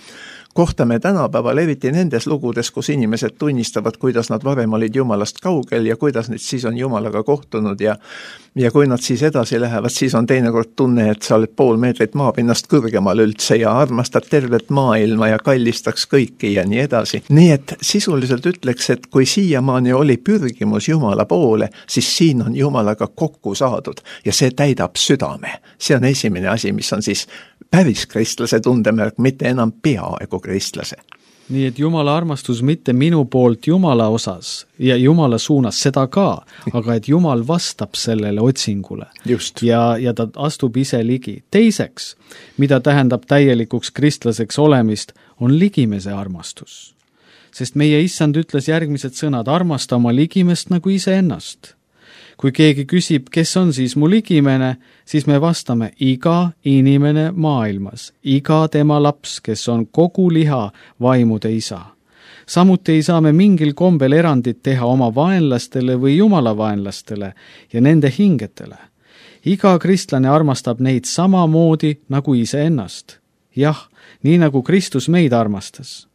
kohtame tänapäeval eriti nendes lugudes, kus inimesed tunnistavad, kuidas nad varem olid Jumalast kaugel ja kuidas nüüd siis on Jumalaga kohtunud ja, ja kui nad siis edasi lähevad, siis on teinekord tunne, et sa oled pool meetrit maapinnast kõrgemal üldse ja armastad tervet maailma ja kallistaks kõiki ja nii edasi. Nii et sisuliselt ütleks, et kui siiamaani oli pürgimus Jumala poole, siis siin on Jumalaga kokku saadud ja see täidab südame. See on esimene asi, mis on siis päris kristlase tundemärk, mitte enam peaaegu kristlase. Nii et Jumala armastus mitte minu poolt Jumala osas ja Jumala suunas seda ka, aga et Jumal vastab sellele otsingule. Just. Ja, ja ta astub ise ligi. Teiseks, mida tähendab täielikuks kristlaseks olemist, on ligimese armastus. Sest meie issand ütles järgmised sõnad, armasta oma ligimest nagu ise ennast. Kui keegi küsib, kes on siis mu ligimene, siis me vastame iga inimene maailmas, iga tema laps, kes on kogu liha vaimude isa. Samuti ei saa me mingil kombel erandit teha oma vaenlastele või Jumala vaenlastele ja nende hingetele. Iga kristlane armastab neid samamoodi nagu iseennast. Jah, nii nagu Kristus meid armastas.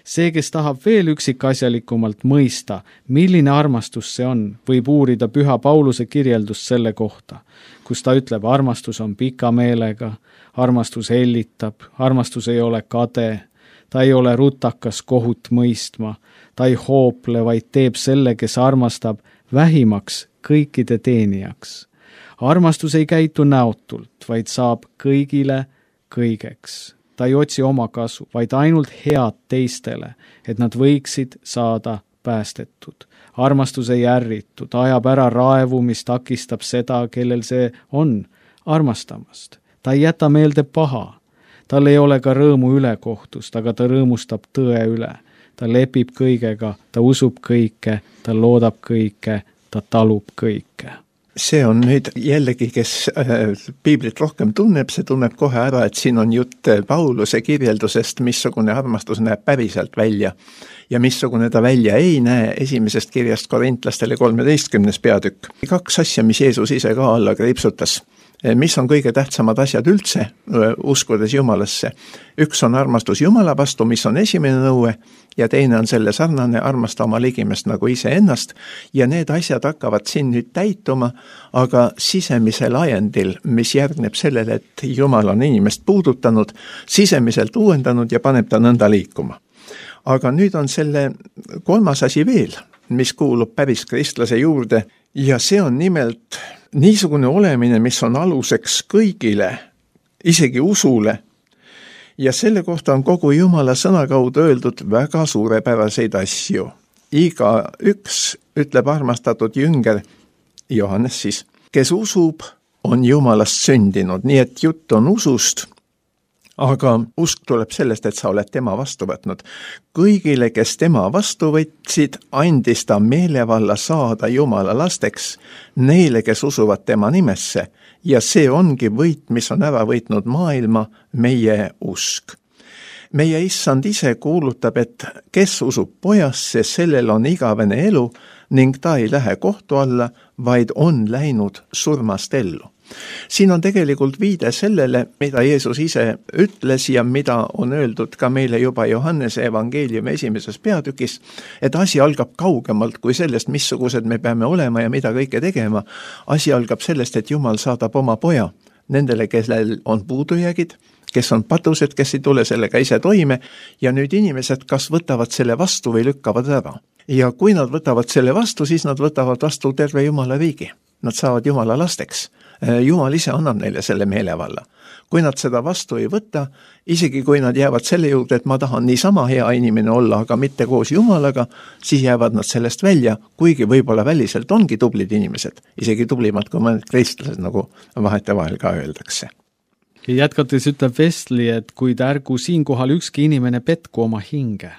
See, kes tahab veel üksikasjalikumalt mõista, milline armastus see on, võib uurida Püha Pauluse kirjeldust selle kohta, kus ta ütleb, armastus on pika meelega, armastus hellitab, armastus ei ole kade, ta ei ole rutakas kohut mõistma, ta ei hoople, vaid teeb selle, kes armastab, vähimaks kõikide teenijaks. Armastus ei käitu näotult, vaid saab kõigile kõigeks. Ta ei otsi oma kasu, vaid ainult head teistele, et nad võiksid saada päästetud. Armastus ei ärritu, ta ajab ära raevu, mis takistab seda, kellel see on armastamast. Ta ei jäta meelde paha. Tal ei ole ka rõõmu ülekohtust, aga ta rõõmustab tõe üle. Ta lepib kõigega, ta usub kõike, ta loodab kõike, ta talub kõike. See on nüüd jällegi, kes äh, piiblit rohkem tunneb, see tunneb kohe ära, et siin on jutt Pauluse kirjeldusest, missugune armastus näeb päriselt välja ja missugune ta välja ei näe esimesest kirjast Korintlastele kolmeteistkümnes peatükk. Kaks asja, mis Jeesus ise ka alla kriipsutas. Mis on kõige tähtsamad asjad üldse uskudes Jumalasse? Üks on armastus Jumala vastu, mis on esimene nõue, ja teine on selle sarnane armasta oma ligimest nagu ise ennast, ja need asjad hakkavad siin nüüd täituma, aga sisemisel ajendil, mis järgneb sellele, et Jumal on inimest puudutanud, sisemiselt uuendanud ja paneb ta nõnda liikuma. Aga nüüd on selle kolmas asi veel, mis kuulub päris kristlase juurde, ja see on nimelt niisugune olemine, mis on aluseks kõigile, isegi usule, ja selle kohta on kogu Jumala sõna kaudu öeldud väga suurepäraseid asju. Iga üks, ütleb armastatud jünger, Johannes siis, kes usub, on Jumalast sündinud, nii et jutt on usust, aga usk tuleb sellest, et sa oled tema vastu võtnud. Kõigile, kes tema vastu võtsid, andis ta meelevalla saada Jumala lasteks, neile, kes usuvad tema nimesse, ja see ongi võit, mis on ära võitnud maailma, meie usk. Meie issand ise kuulutab, et kes usub pojasse, sellel on igavene elu ning ta ei lähe kohtu alla, vaid on läinud surmast ellu. Siin on tegelikult viide sellele, mida Jeesus ise ütles ja mida on öeldud ka meile juba Johannese evangeeliumi esimeses peatükis, et asi algab kaugemalt kui sellest, missugused me peame olema ja mida kõike tegema. Asi algab sellest, et Jumal saadab oma poja nendele, kellel on puudujäägid, kes on patused, kes ei tule sellega ise toime, ja nüüd inimesed kas võtavad selle vastu või lükkavad ära. Ja kui nad võtavad selle vastu, siis nad võtavad vastu terve Jumala riigi. Nad saavad Jumala lasteks. Jumal ise annab neile selle meelevalla. Kui nad seda vastu ei võta, isegi kui nad jäävad selle juurde, et ma tahan niisama hea inimene olla, aga mitte koos Jumalaga, siis jäävad nad sellest välja, kuigi võib-olla väliselt ongi tublid inimesed, isegi tublimad kui mõned kristlased, nagu vahetevahel ka öeldakse. Ja jätkates ütleb Wesley, et kuid ärgu siinkohal ükski inimene petku oma hinge.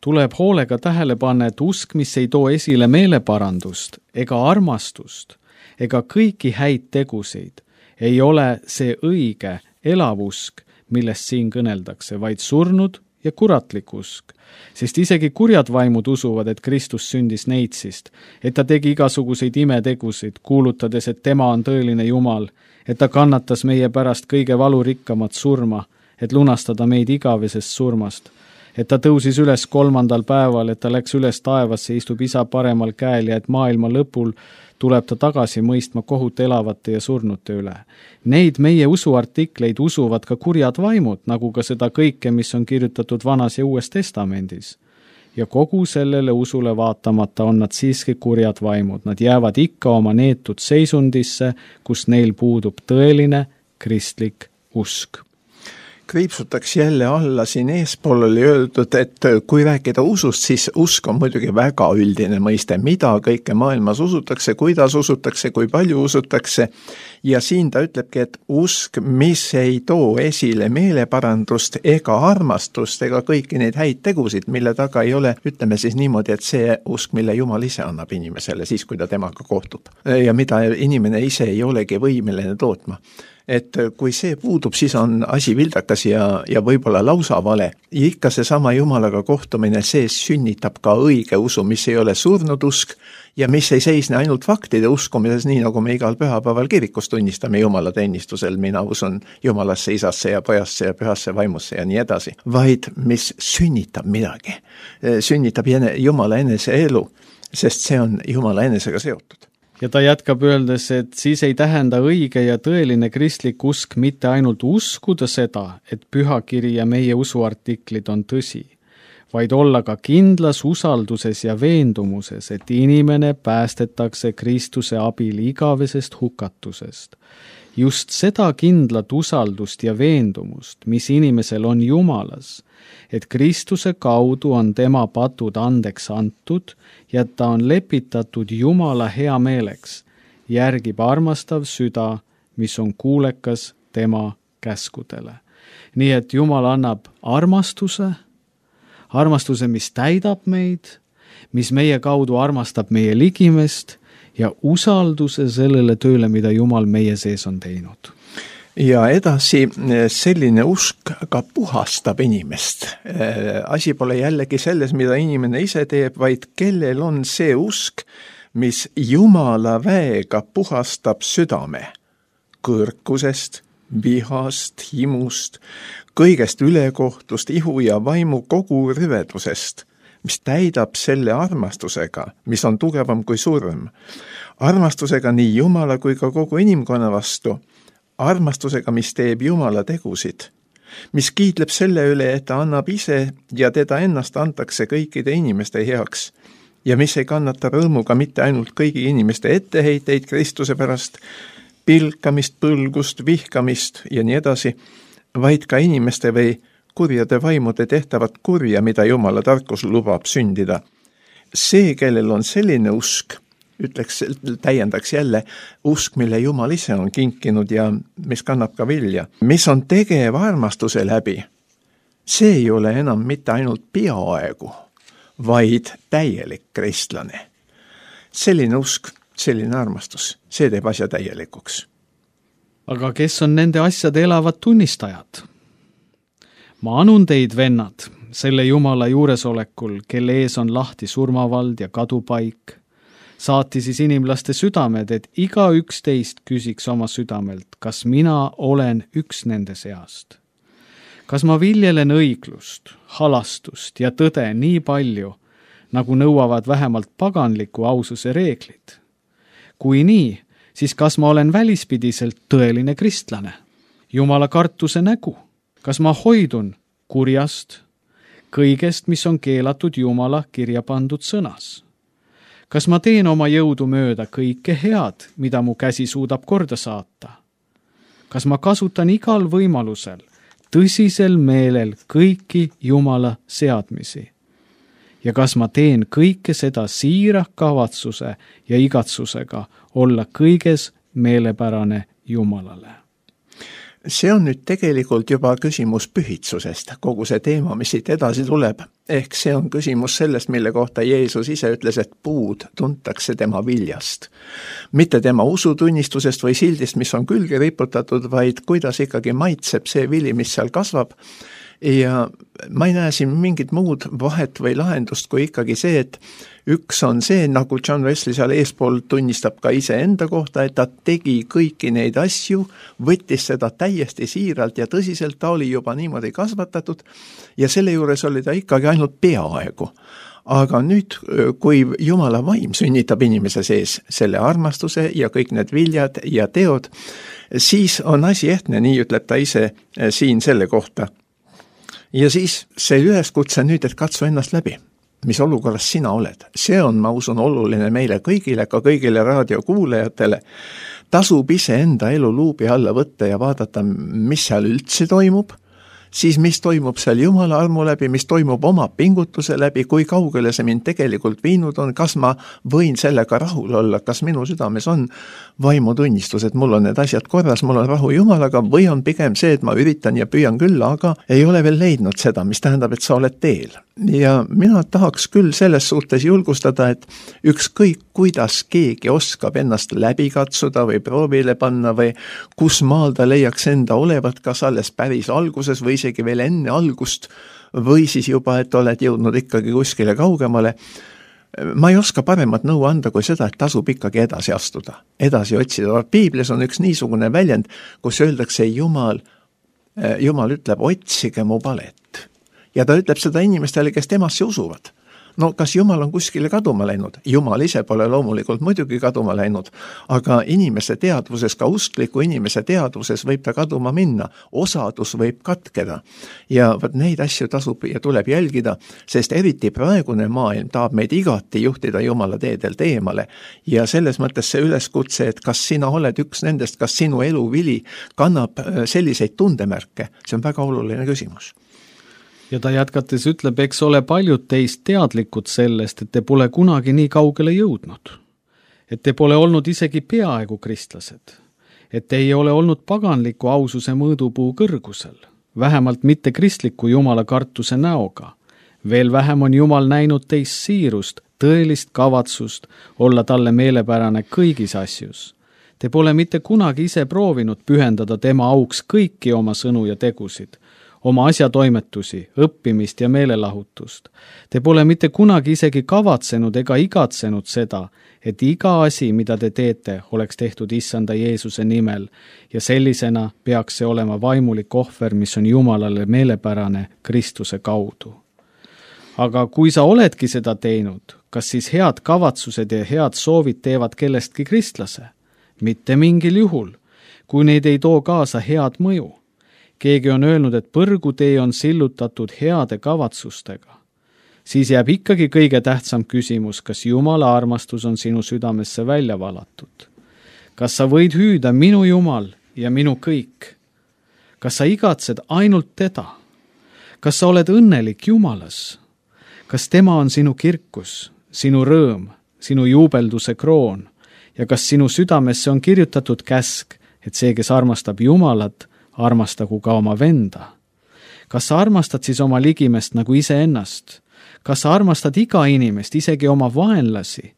Tuleb hoolega tähele panna, et usk, mis ei too esile meeleparandust ega armastust ega kõiki häid tegusid, ei ole see õige elav usk, millest siin kõneldakse, vaid surnud ja kuratlik usk. Sest isegi kurjad vaimud usuvad, et Kristus sündis neitsist, et ta tegi igasuguseid imetegusid, kuulutades, et tema on tõeline Jumal, et ta kannatas meie pärast kõige valurikkamat surma, et lunastada meid igavesest surmast, et ta tõusis üles kolmandal päeval, et ta läks üles taevasse, istub isa paremal käel ja et maailma lõpul tuleb ta tagasi mõistma kohut elavate ja surnute üle. Neid meie usuartikleid usuvad ka kurjad vaimud, nagu ka seda kõike, mis on kirjutatud Vanas ja Uues Testamendis. Ja kogu sellele usule vaatamata on nad siiski kurjad vaimud. Nad jäävad ikka oma neetud seisundisse, kus neil puudub tõeline kristlik usk. Kriipsutaks jälle alla, siin eespool oli öeldud, et kui rääkida usust, siis usk on muidugi väga üldine mõiste, mida kõike maailmas usutakse, kuidas usutakse, kui palju usutakse, ja siin ta ütlebki, et usk, mis ei too esile meeleparandust ega armastust ega kõiki neid häid tegusid, mille taga ei ole, ütleme siis niimoodi, et see usk, mille Jumal ise annab inimesele siis, kui ta temaga kohtub ja mida inimene ise ei olegi võimeline tootma. et kui see puudub, siis on asi vildakas ja, ja võib-olla lausa vale. Ja ikka seesama Jumalaga kohtumine, see sünnitab ka õige usu, mis ei ole surnud usk ja mis ei seisne ainult faktide uskumises, nii nagu me igal pühapäeval kirikus tunnistame Jumala teenistusel, mina usun Jumalasse, Isasse ja Pojasse ja Pühasse Vaimusse ja nii edasi, vaid mis sünnitab midagi, sünnitab Jumala enese elu, sest see on Jumala enesega seotud. Ja ta jätkab öeldes, et siis ei tähenda õige ja tõeline kristlik usk mitte ainult uskuda seda, et pühakiri ja meie usuartiklid on tõsi, vaid olla ka kindlas usalduses ja veendumuses, et inimene päästetakse Kristuse abil igavesest hukatusest. Just seda kindlat usaldust ja veendumust, mis inimesel on Jumalas, et Kristuse kaudu on tema patud andeks antud ja ta on lepitatud Jumala hea meeleks, järgib armastav süda, mis on kuulekas tema käskudele. Nii et Jumal annab armastuse, armastuse, mis täidab meid, mis meie kaudu armastab meie ligimest ja usalduse sellele tööle, mida Jumal meie sees on teinud. Ja edasi selline usk ka puhastab inimest. Asi pole jällegi selles, mida inimene ise teeb, vaid kellel on see usk, mis Jumala väega puhastab südame kõrkusest, vihast, himust, kõigest ülekohtust, ihu ja vaimu kogu rüvedusest, mis täidab selle armastusega, mis on tugevam kui surm. Armastusega nii Jumala kui ka kogu inimkonna vastu, armastusega, mis teeb Jumala tegusid, mis kiitleb selle üle, et ta annab ise ja teda ennast antakse kõikide inimeste heaks ja mis ei kannata rõõmuga mitte ainult kõigi inimeste etteheiteid Kristuse pärast, pilkamist, põlgust, vihkamist ja nii edasi, vaid ka inimeste või kurjade vaimude tehtavat kurja, mida Jumala tarkus lubab sündida. See, kellel on selline usk, ütleks, täiendaks jälle usk, mille Jumal ise on kinkinud ja mis kannab ka vilja, mis on tegev armastuse läbi. See ei ole enam mitte ainult peaaegu, vaid täielik kristlane. Selline usk, selline armastus, see teeb asja täielikuks. Aga kes on nende asjade elavad tunnistajad? Ma anun teid, vennad, selle Jumala juuresolekul, kelle ees on lahti surmavald ja kadupaik, saati siis inimlaste südamed, et iga üks teist küsiks oma südamelt, kas mina olen üks nende seast. Kas ma viljelen õiglust, halastust ja tõde nii palju, nagu nõuavad vähemalt paganliku aususe reeglid? Kui nii, siis kas ma olen välispidiselt tõeline kristlane? Jumala kartuse nägu? Kas ma hoidun kurjast, kõigest, mis on keelatud Jumala kirja pandud sõnas? Kas ma teen oma jõudu mööda kõike head, mida mu käsi suudab korda saata? Kas ma kasutan igal võimalusel, tõsisel meelel kõiki Jumala seadmisi? Ja kas ma teen kõike seda siira kavatsuse ja igatsusega olla kõiges meelepärane Jumalale? See on nüüd tegelikult juba küsimus pühitsusest, kogu see teema, mis siit edasi tuleb. Ehk see on küsimus sellest, mille kohta Jeesus ise ütles, et puud tuntakse tema viljast. Mitte tema usutunnistusest või sildist, mis on külge riputatud, vaid kuidas ikkagi maitseb see vili, mis seal kasvab. Ja ma ei näe siin mingit muud vahet või lahendust kui ikkagi see, et üks on see, nagu John Wesley seal eespool tunnistab ka ise enda kohta, et ta tegi kõiki neid asju, võttis seda täiesti siiralt ja tõsiselt, ta oli juba niimoodi kasvatatud ja selle juures oli ta ikkagi ainult peaaegu. Aga nüüd, kui Jumala vaim sünnitab inimese sees selle armastuse ja kõik need viljad ja teod, siis on asi ehtne, nii ütleb ta ise siin selle kohta. Ja siis see üleskutse nüüd, et katsu ennast läbi, mis olukorras sina oled. See on, ma usun, oluline meile kõigile, ka kõigile raadiokuulajatele. Tasub ise enda elu luubi alla võtta ja vaadata, mis seal üldse toimub, siis mis toimub seal Jumala armu läbi, mis toimub oma pingutuse läbi, kui kaugele see mind tegelikult viinud on, kas ma võin sellega rahul olla, kas minu südames on vaimutunnistus, et mul on need asjad korras, mul on rahu Jumalaga, või on pigem see, et ma üritan ja püüan küll, aga ei ole veel leidnud seda, mis tähendab, et sa oled teel. ja mina tahaks küll selles suhtes julgustada, et ükskõik kuidas keegi oskab ennast läbi katsuda või proovile panna või kus maal ta leiaks enda olevat, kas alles päris alguses või isegi veel enne algust või siis juba, et oled jõudnud ikkagi kuskile kaugemale. Ma ei oska paremat nõu anda kui seda, et tasub ikkagi edasi astuda, edasi otsida. Piiblis on üks niisugune väljend, kus öeldakse Jumal, Jumal ütleb, otsige mu palet. Ja ta ütleb seda inimestele, kes temasse usuvad. No kas Jumal on kuskile kaduma läinud? Jumal ise pole loomulikult muidugi kaduma läinud, aga inimese teadvuses, ka uskliku inimese teadvuses võib ta kaduma minna, osadus võib katkeda. Ja võt neid asju tasub ja tuleb jälgida, sest eriti praegune maailm tahab meid igati juhtida Jumala teedelt eemale. Ja selles mõttes see üleskutse, et kas sina oled üks nendest, kas sinu eluvili kannab selliseid tundemärke, see on väga oluline küsimus. Ja ta jätkates ütleb, eks ole paljud teist teadlikud sellest, et te pole kunagi nii kaugele jõudnud. Et te pole olnud isegi peaaegu kristlased. Et te ei ole olnud paganliku aususe mõõdupuu kõrgusel, vähemalt mitte kristliku Jumala kartuse näoga. Veel vähem on Jumal näinud teist siirust, tõelist kavatsust olla talle meelepärane kõigis asjus. Te pole mitte kunagi ise proovinud pühendada tema auks kõiki oma sõnu ja tegusid, oma asjatoimetusi, õppimist ja meelelahutust. Te pole mitte kunagi isegi kavatsenud ega igatsenud seda, et iga asi, mida te teete, oleks tehtud issanda Jeesuse nimel ja sellisena peaks see olema vaimulik ohver, mis on Jumalale meelepärane Kristuse kaudu. Aga kui sa oledki seda teinud, kas siis head kavatsused ja head soovid teevad kellestki kristlase? Mitte mingil juhul, kui neid ei too kaasa head mõju. Keegi on öelnud, et põrgutee on sillutatud heade kavatsustega. Siis jääb ikkagi kõige tähtsam küsimus, kas Jumala armastus on sinu südamesse välja valatud. Kas sa võid hüüda minu Jumal ja minu kõik? Kas sa igatsed ainult teda? Kas sa oled õnnelik Jumalas? Kas tema on sinu kirkus, sinu rõõm, sinu juubelduse kroon? Ja kas sinu südamesse on kirjutatud käsk, et see, kes armastab Jumalat, armastagu ka oma venda? Kas sa armastad siis oma ligimest nagu iseennast? Kas sa armastad iga inimest, isegi oma vaenlasi,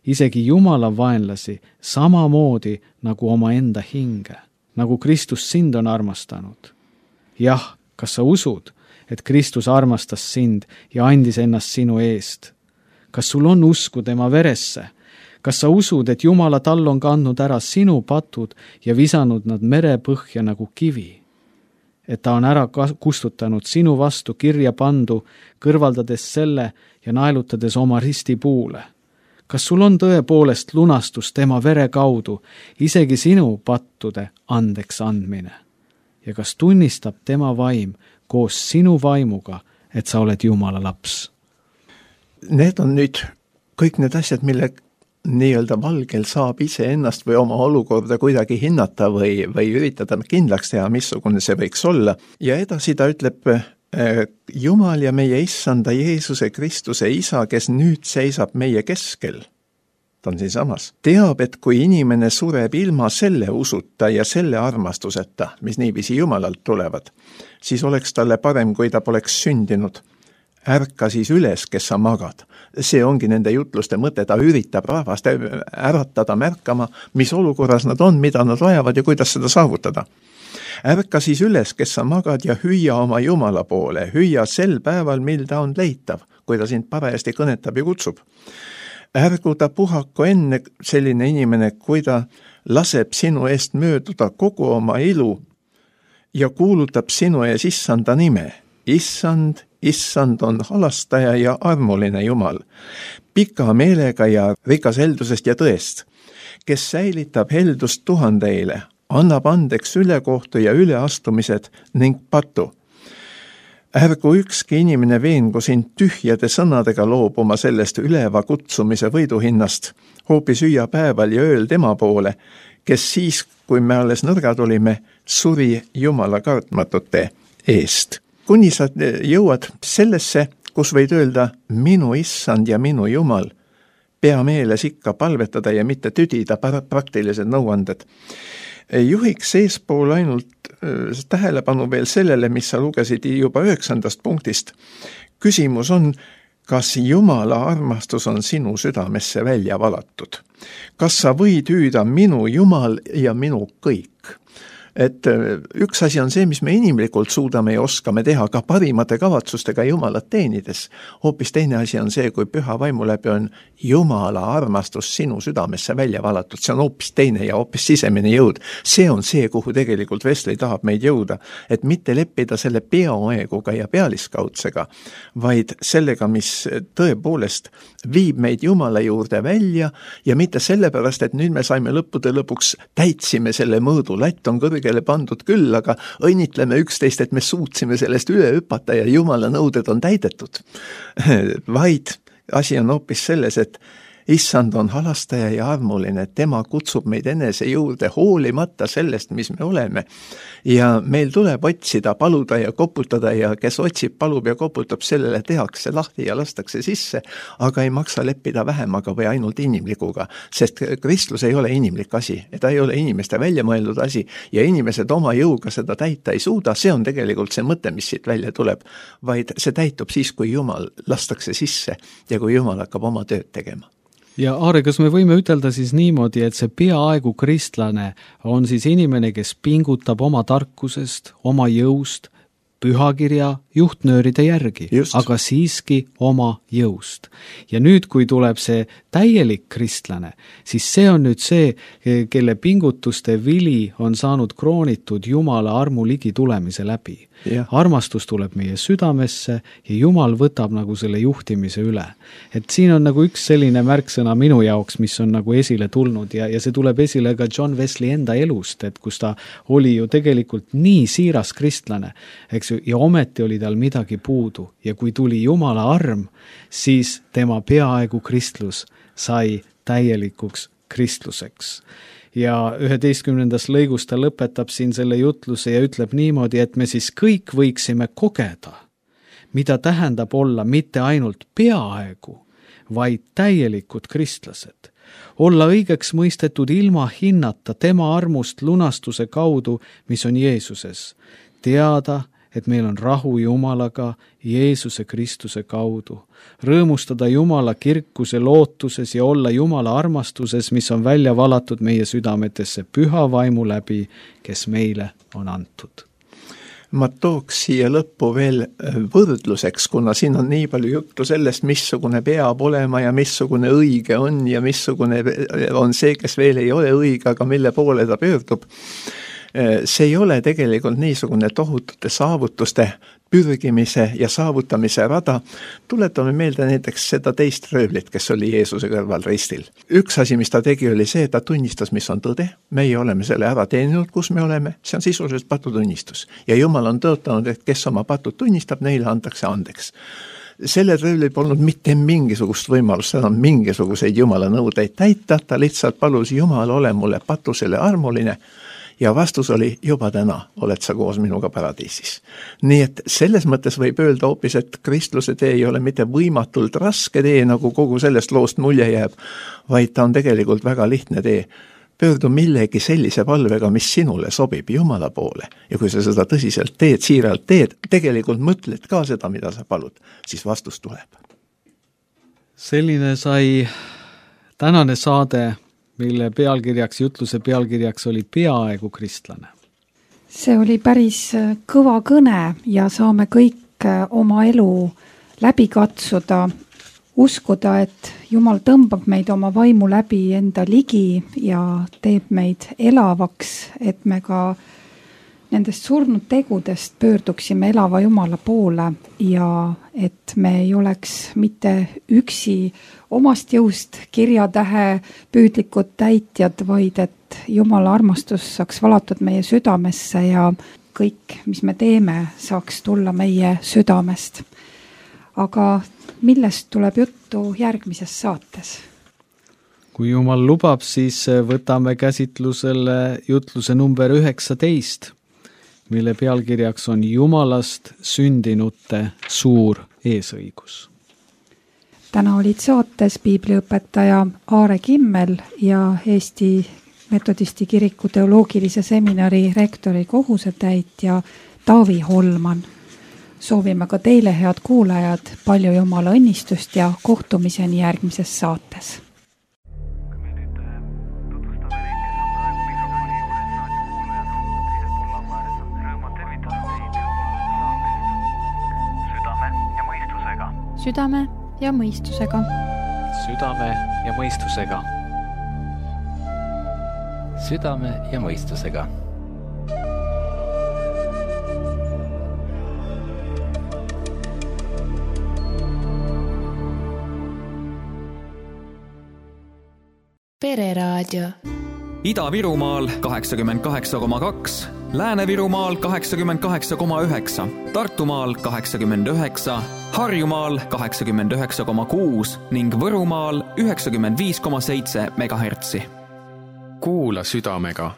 isegi Jumala vaenlasi, samamoodi nagu oma enda hinge, nagu Kristus sind on armastanud? Jah, kas sa usud, et Kristus armastas sind ja andis ennast sinu eest? Kas sul on usku tema veresse? Kas sa usud, et Jumala tal on kandnud ära sinu patud ja visanud nad merepõhja nagu kivi? Et ta on ära kustutanud sinu vastu kirja pandu, kõrvaldades selle ja naelutades oma ristipuule? Kas sul on tõepoolest lunastus tema vere kaudu, isegi sinu pattude andeks andmine? Ja kas tunnistab tema vaim koos sinu vaimuga, et sa oled Jumala laps? Need on nüüd kõik need asjad, mille nii-öelda valgel saab ise ennast või oma olukorda kuidagi hinnata või, või üritada kindlaks teha, missugune see võiks olla. Ja edasi ta ütleb, Jumal ja meie issanda Jeesuse Kristuse isa, kes nüüd seisab meie keskel, ta on siin samas, teab, et kui inimene sureb ilma selle usuta ja selle armastuseta, mis niiviisi Jumalalt tulevad, siis oleks talle parem, kui ta poleks sündinud. Ärka siis üles, kes sa magad. See ongi nende jutluste mõte, ta üritab rahvast äratada märkama, mis olukorras nad on, mida nad vajavad ja kuidas seda saavutada. Ärka siis üles, kes sa magad ja hüüa oma Jumala poole, hüüa sel päeval, mil ta on leitav, kui ta sind parajasti kõnetab ja kutsub. Ärgu ta puhaku enne selline inimene, kui ta laseb sinu eest mööduda kogu oma ilu ja kuulutab sinu ees issanda nime. Issand, issand on halastaja ja armuline Jumal, pika meelega ja rikas heldusest ja tõest, kes säilitab heldust tuhandeile, annab andeks ülekohtu ja üleastumised ning patu. Ärgu ükski inimene veengu sind tühjade sõnadega loobuma sellest üleva kutsumise võiduhinnast, hoopis hüüa päeval ja ööl tema poole, kes siis, kui me alles nõrgad olime, suri Jumala kartmatute eest. Kuni sa jõuad sellesse, kus võid öelda minu issand ja minu Jumal, pea meeles ikka palvetada ja mitte tüdida praktilised nõuanded. Juhiks eespool ainult tähelepanu veel sellele, mis sa lugesid juba üheksandast punktist. Küsimus on, kas Jumala armastus on sinu südamesse välja valatud? Kas sa võid hüüda minu Jumal ja minu kõik? Et üks asi on see, mis me inimlikult suudame ja oskame teha ka parimate kavatsustega Jumalat teenides. Hoopis teine asi on see, kui püha vaimu läbi on Jumala armastus sinu südamesse välja valatud. See on hoopis teine ja hoopis sisemine jõud. See on see, kuhu tegelikult Wesley tahab meid jõuda. Et mitte leppida selle peaaeguga ja pealiskaudsega, vaid sellega, mis tõepoolest viib meid Jumala juurde välja ja mitte sellepärast, et nüüd me saime lõppude lõpuks täitsime selle mõõdu, latt on kõrgele pandud küll, aga õnnitleme üksteist, et me suutsime sellest üle hüpata ja Jumala nõuded on täidetud. Vaid asi on hoopis selles, et Issand on halastaja ja armuline, tema kutsub meid enese juurde hoolimata sellest, mis me oleme. Ja meil tuleb otsida, paluda ja koputada ja kes otsib, palub ja koputab, sellele tehakse lahti ja lastakse sisse, aga ei maksa leppida vähemaga või ainult inimlikuga, sest Kristus ei ole inimlik asi, ta ei ole inimeste välja mõeldud asi ja inimesed oma jõuga seda täita ei suuda, see on tegelikult see mõte, mis siit välja tuleb, vaid see täitub siis, kui Jumal lastakse sisse ja kui Jumal hakkab oma tööd tegema. Ja Aare, kas me võime ütelda siis niimoodi, et see peaaegu kristlane on siis inimene, kes pingutab oma tarkusest, oma jõust, pühakirja juhtnööride järgi, Just. aga siiski oma jõust. Ja nüüd, kui tuleb see täielik kristlane, siis see on nüüd see, kelle pingutuste vili on saanud kroonitud Jumala armu ligi tulemise läbi. Ja. Armastus tuleb meie südamesse ja Jumal võtab nagu selle juhtimise üle. Et siin on nagu üks selline märksõna minu jaoks, mis on nagu esile tulnud ja, ja see tuleb esile ka John Wesley enda elust, et kus ta oli ju tegelikult nii siiras kristlane, eks ju, ja ometi oli tal midagi puudu ja kui tuli Jumala arm, siis tema peaaegu kristlus sai täielikuks kristluseks. Ja üheteistkümnendas lõigus ta lõpetab siin selle jutluse ja ütleb niimoodi, et me siis kõik võiksime kogeda, mida tähendab olla mitte ainult peaaegu, vaid täielikud kristlased. Olla õigeks mõistetud ilma hinnata tema armust lunastuse kaudu, mis on Jeesuses. Teada, et meil on rahu Jumalaga Jeesuse Kristuse kaudu. Rõõmustada Jumala kirkuse lootuses ja olla Jumala armastuses, mis on välja valatud meie südametesse püha vaimu läbi, kes meile on antud. Ma tooks siia lõppu veel võrdluseks, kuna siin on nii palju juttu sellest, missugune peab olema ja missugune õige on ja missugune on see, kes veel ei ole õige, aga mille poole ta pöördub. See ei ole tegelikult niisugune tohutute saavutuste pürgimise ja saavutamise rada. Tuletame meelde näiteks seda teist röövlit, kes oli Jeesuse kõrval ristil. Üks asi, mis ta tegi, oli see, et ta tunnistas, mis on tõde. Meie oleme selle ära teeninud, kus me oleme. See on sisuliselt patutunnistus. Ja Jumal on tõotanud, et kes oma patud tunnistab, neile antakse andeks. Selle röövlil polnud mitte mingisugust võimalust, enam mingisuguseid Jumala nõudeid täita. Ta lihtsalt palus Jumal ole mulle patusele armuline. Ja vastus oli, juba täna oled sa koos minuga paradiisis. Nii et selles mõttes võib öelda hoopis, et kristluse tee ei ole mitte võimatult raske tee, nagu kogu sellest loost mulje jääb, vaid ta on tegelikult väga lihtne tee. Pöördu millegi sellise palvega, mis sinule sobib Jumala poole. Ja kui sa seda tõsiselt teed, siiralt teed, tegelikult mõtled ka seda, mida sa palud, siis vastus tuleb. Selline sai tänane saade, mille pealkirjaks, jutluse pealkirjaks oli peaaegu kristlane. See oli päris kõva kõne ja saame kõik oma elu läbi katsuda, uskuda, et Jumal tõmbab meid oma vaimu läbi enda ligi ja teeb meid elavaks, et me ka nendest surnud tegudest pöörduksime elava Jumala poole ja et me ei oleks mitte üksi omast jõust kirjatähe püüdlikud täitjad, vaid et Jumala armastus saaks valatud meie südamesse ja kõik, mis me teeme, saaks tulla meie südamest. Aga millest tuleb juttu järgmises saates? Kui Jumal lubab, siis võtame käsitlusele jutluse number üheksateist, mille pealkirjaks on Jumalast sündinute suur eesõigus. Täna olid saates piibliõpetaja Aare Kimmel ja Eesti Metodisti kiriku teoloogilise seminari rektori kohusetäitja Taavi Holman. Soovime ka teile, head kuulajad, palju Jumala õnnistust ja kohtumiseni järgmises saates. Südame ja mõistusega. Südame ja mõistusega. Südame ja mõistusega. Pereraadio. Ida-Virumaal kaheksakümmend kaheksa koma kaks, Lääne-Virumaal kaheksakümmend kaheksa koma üheksa, Tartumaal kaheksakümmend üheksa, Harjumaal kaheksakümmend üheksa koma kuus ning Võrumaal üheksakümmend viis koma seitse megahertsi. Kuula südamega